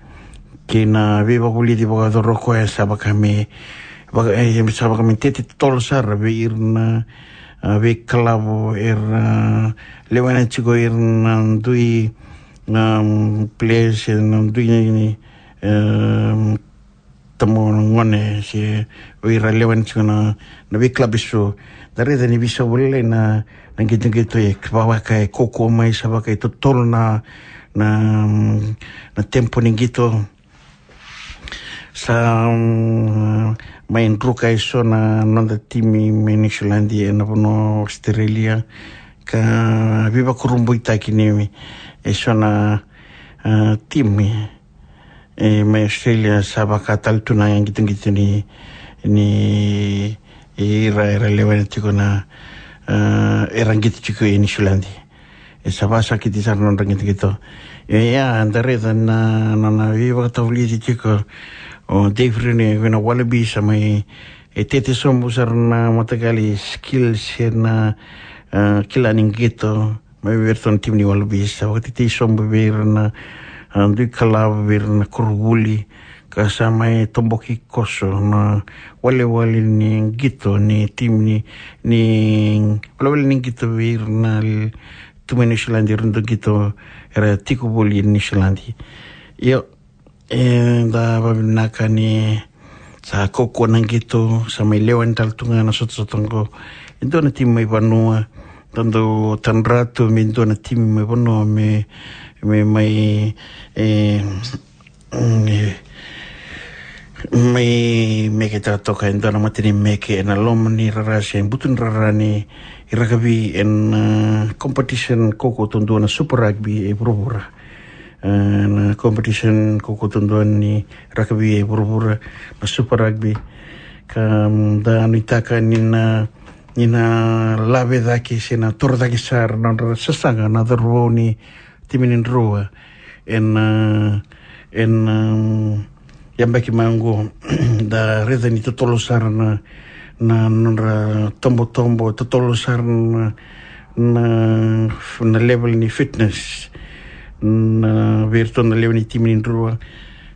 Kei na veivakavulici vakayacora o koya sa vaka me, vaka, e, sa vaka me tete totolo sara vei ira na, ah, veikalavo era, ah, lewena tiko ira na dui, um, players, e na dui, um, tama gone se o ira lewena tiko na, na veikilabu eso. Da raica ni veisau vakalailai na, na qitoqito e vaka e kaukauwa mai, sa vaka e totolo na, na, na tempo ni qito. Sa, um, mai druka eso na noda timi mai Niusiladi e na vanua o Australia, ka veivakurabuitaki ni eso na, ah, timi e mai Australia sa vaka tale tu na qitoqito ni, ni ira era lewena tiko na, ah, era qito tiko e Niusiladi. E sa vakasakiti sara na nodra qitoqito. Ia, da raica na, na, na veivakatavulici tiko o Dave Rennie vei na Wallabies, sa mai, e, tete sobu sara na mataqali skills e na, ah, kila ni qito mai vei iratou na timi ni Wallabies. Sa vakatetei sobu vei ira na, ah, dui kalavo, vei ira na koronivuli, ka sa mai toboki koso na walewale ni qito ni timi ni, ni walewale ni qito vei ira na l-, tu mai Niusiladi, ira na dau qito era tiko voli e Niusiladi. Io, e, da vakavinaka ni sa kaukauwa na qito, sa mai lewe ni tale tu ga na sotasota qo e dua na timi mai vanua, da dau tadra tu me dua na timi mai vanua me, me mai, e, mm, e, mai meke taka toka e dua na mata ni meke ena loma ni rara se butu ni rara ni rakavi ena, e, competition kaukaua taudua na Super Rugby e vuravura. E, na competition kaukaua taudua ni rakavi e vuravura, na Super Rugby. Ka, mm, da nuitaka ni na, ni na lave cake se na toro cake sara na nodra sasaga na cauravou ni timi ni Drua. Ena, e, ena, mm, yabaki mai oqo, da raica ni totolo sara na, na nodra tobotobo, totolo sara na, na, na level ni fitness na vei iratou na lewe ni timi ni Drua.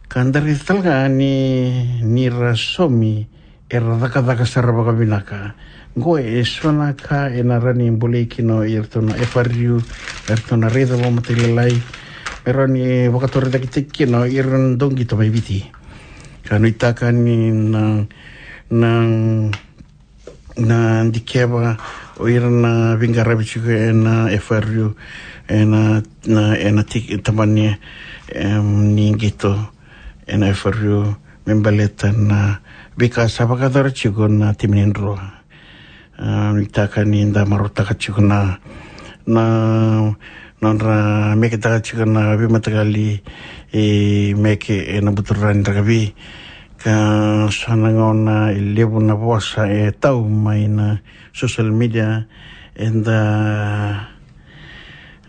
Ka da raica tale ga ni, ni ra saumi era cakacaka sara vakavinaka. Qo e so na ka ena rawa ni bolei kina o iratou na F R U, iratou na raica vakamatailalai, me rawa ni vakatorocaketaki kina o ira na dauqito mai Viti. Ka nuitaka ni na, na, na dikeva o ira na veiqaravi tiko ena F R U, ena, na, ena tiki tabani, em, ni qito ena F R U me baleta na veika sa vakayacora tiko na timi ni Drua. A, nuitaka ni da marautaka tiko na, na nodra meketaka tiko na veimataqali, e, meke ena buturara ni rakavi. Ka so na gauna e levu na vosa e tau mai na social media, eda,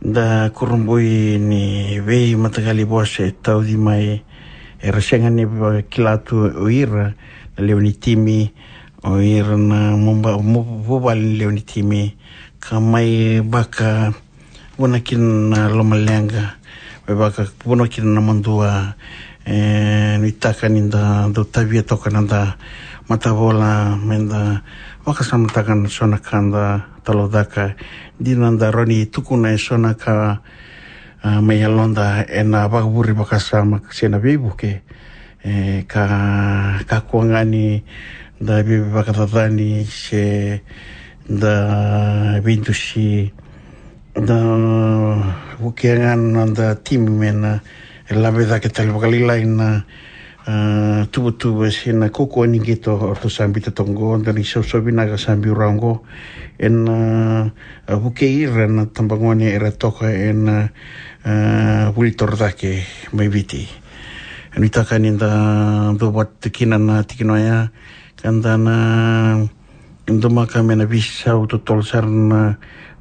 da kurabui ni veimataqali vosa e tauci mai, era sega ni vakila tu o ira na lewe ni timi, o ira na muba-, mu-, vuvale ni lewe ni timi, ka mai vakavuna kina na lomaleqa, mai vakavuna kina na madua. E, nuitaka ni da dau tavia toka na da matavola, me da vakasamataka na so na ka da talaucaka. Dina da rawa ni tukuna e so na ka, a, mai yaloda ena vakavure vakasama se na veivuke. E, ka, kakua ga ni da veivakacacani se da veidusi, da vukea ga na noda timi me na lave cake tale vakalailai na, a, tuvatuva se na kaukaua ni qito o ratou sa biuta toka oqo, dua na isausau vinaka sa biu rawa oqo. Ena, a, vukei ira na tabagone era toka ena, a, vuli torocake mai Viti. Nuitaka ni da dau vata kina na tikina oya, ka da na domaka me na veisau totolo sara na,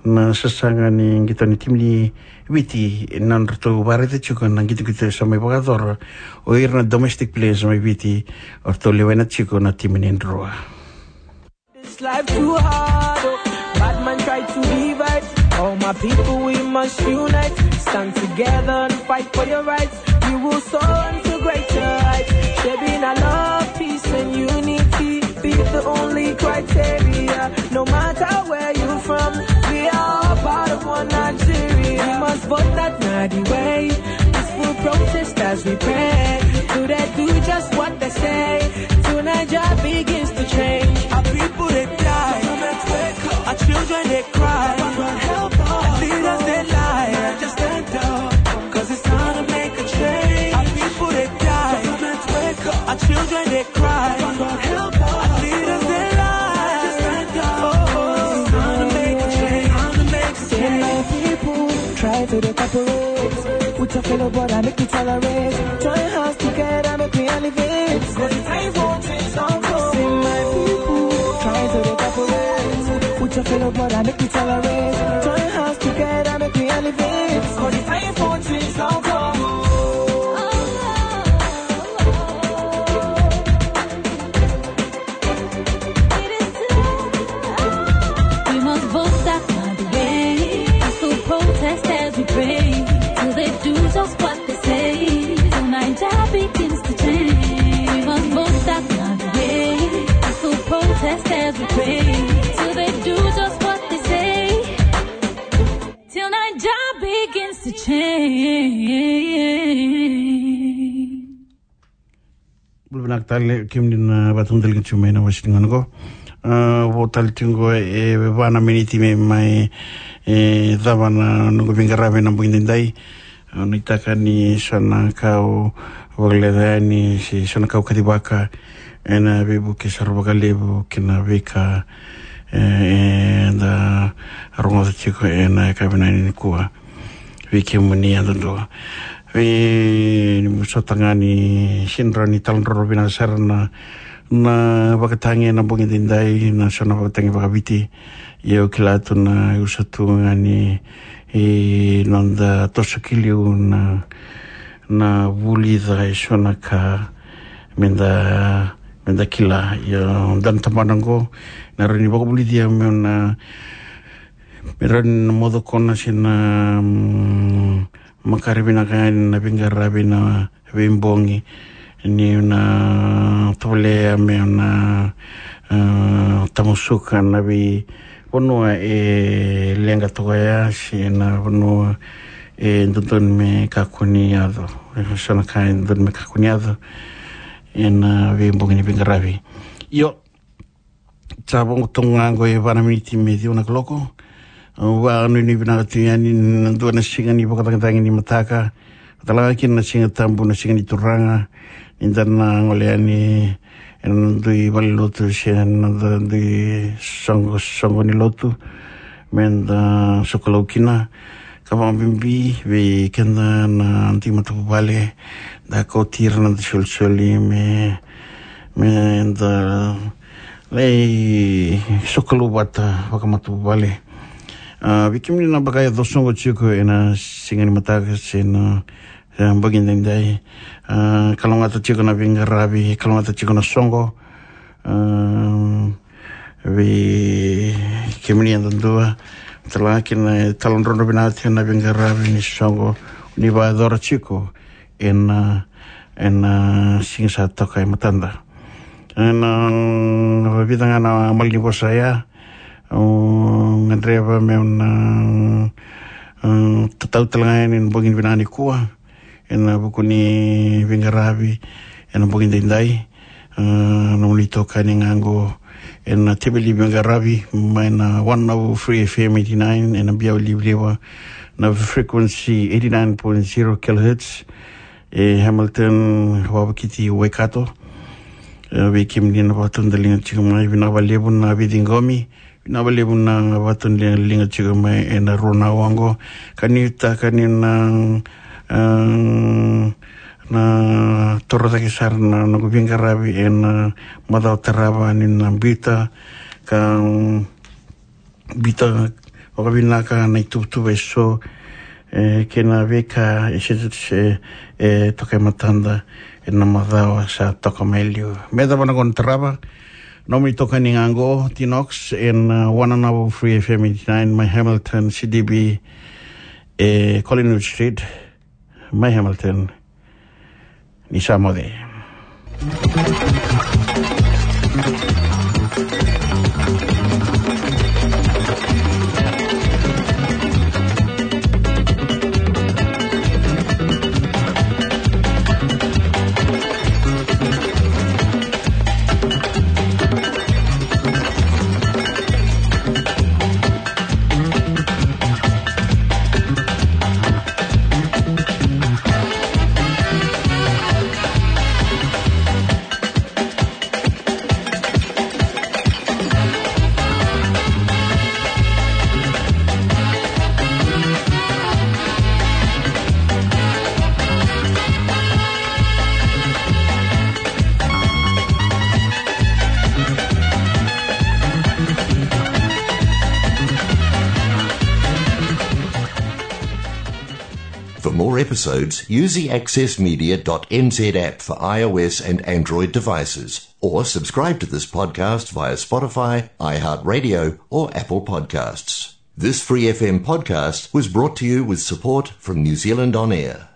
na sasaga ni qito ni timi ni Viti, na nodratou vakaraica tiko na qitoqito sa mai vakayacora o ira na domestic players mai Viti, o ratou lewena tiko na timi ni Drua. This life too hard, oh. Bad man try to divide. All my people, we must unite. Stand together and fight for your rights. We will soar unto greater heights. Shaping our love, peace and unity be the only criteria. No matter where you from, we are all part of one Nigeria. We must vote that Nadi way. Peaceful protest as we pray. Do they do just what they say? Till Niger begins to change. Our people they die. Our children they cry. Our leaders they lie. Just stand up. 'Cause it's time to make a change. Our people they die. Our children they cry. Our leaders they lie. Just stand up. Oh, it's time to make a change. Time to make a change. Say my people, try to dey cooperate with your fellow brother, make we tolerate. Join hands together, make we elevate. 'Cause the time for change don come. Say my people, try to dey cooperate with your fellow brother, make we tolerate. Join hands together, make we elevate. 'Cause the time for change don come. We must vote that Nadi way. Peaceful protest as we pray. Till they do just what they say. Till Niger begins to change. We must vote that Nadi way. Peaceful protest as we pray. Till they do just what they say. Till Niger begins to change. Bula vinaka tale kemuni na vakatudaliga tiko mai na wasi ni gauna qo. A, vo tale tiko e va na miniti me mai, e, cava na noqu veiqaravi ena bogi daidai. A, nuitaka ni so na ka au vakaleca yani se so na ka au kacivaka ena veivuke sara vakalevu kei na veika, e, eda rogoca tiko ena yakavi nikua. Vei kemuni yadudua. Vei ni sota ga ni sega ni talanoa vinaka sara na, na vakatagi ena bogi daidai, na so na vakatagi vakaviti. Ia au kila tu na usa tu ga ni, e, noda toso ki liu na, na vulica e so na ka meda, meda kila. Ia dua na tabana oqo na rawa ni vakavulici au me na, me rawa ni na moco kona se na, mm, makare vinaka yani na veiqaravi na veibogi ni na tovolea me na, a, tamusuka na veivanua e leqa toka ya se na vanua e dodonu me kakua ni yaco. E so na ka e dodonu me kakua ni yaco ena veibogi ni veiqaravi. Io, sa voqo toka ga oqo e va na miniti me ciwa na kaloko. Au vakanuinui vinaka tu yani na dua na siga ni vakacagicagi ni mataka, tale ga kina na Siga Tabu, na Siga ni Turaga, ni da na gole yani ena dui valenilotu se na dui soqosoqo ni lotu, meda sokalou kina. Ka vakabibi vei keda na dui matavuvale, da kauti ira na dui solisoli me, meda lai sokalou vata vakamatavuvale. A, vei kemuni na vaka yaco soqo tiko ena siga ni mataka se na, e, bogi daidai. A, kalougata tiko na veiqaravi, kalougata tiko na soqo. A, vei kemuni yadudua, tale ga kina e talanoa vinaka tiko na veiqaravi ni soqo ni vakayacora tiko ena, ena siga sa toka e matada. Ena vica ga na malanivosa ya, au gadreva meu na, a, tatau tale ga yani ena bogi vinaka nikua ena vuku ni veiqaravi ena bogi daidai. A, nomuni itokani ga oqo ena teveli veiqaravi mai na one oh three F M eighty-nine ena biau livaliva, na frequency eighty-nine point zero kilohertz, e Hamilton, Wavokiti, Waikato. E, vei kemuni na vakatudaliga tiko mai, vinaka vakalevu na veiciqomi. Vinaka vakalevu na vakatudaliga tiko mai ena rua na aua oqo. Ka nuitaka ni na, a, na toro cake sara na noqu veiqaravi ena macawa tarava ni na biuta, ka, mm, biuta vakavinaka na ituvatuva eso, e, kei na veika e se, se, e toka e matada ena macawa sa toka mai liu. Me cava na gauna tarava, nomuni itokani ga oqo, Tinox, ena, a, one oh three F M eighty-nine, mai Hamilton, C D B, e, Collingwood Street, mai Hamilton. Ni sa moce. For more episodes, use the access media dot N Z app for I O S and Android devices, or subscribe to this podcast via Spotify, iHeartRadio, or Apple Podcasts. This Free F M podcast was brought to you with support from New Zealand On Air.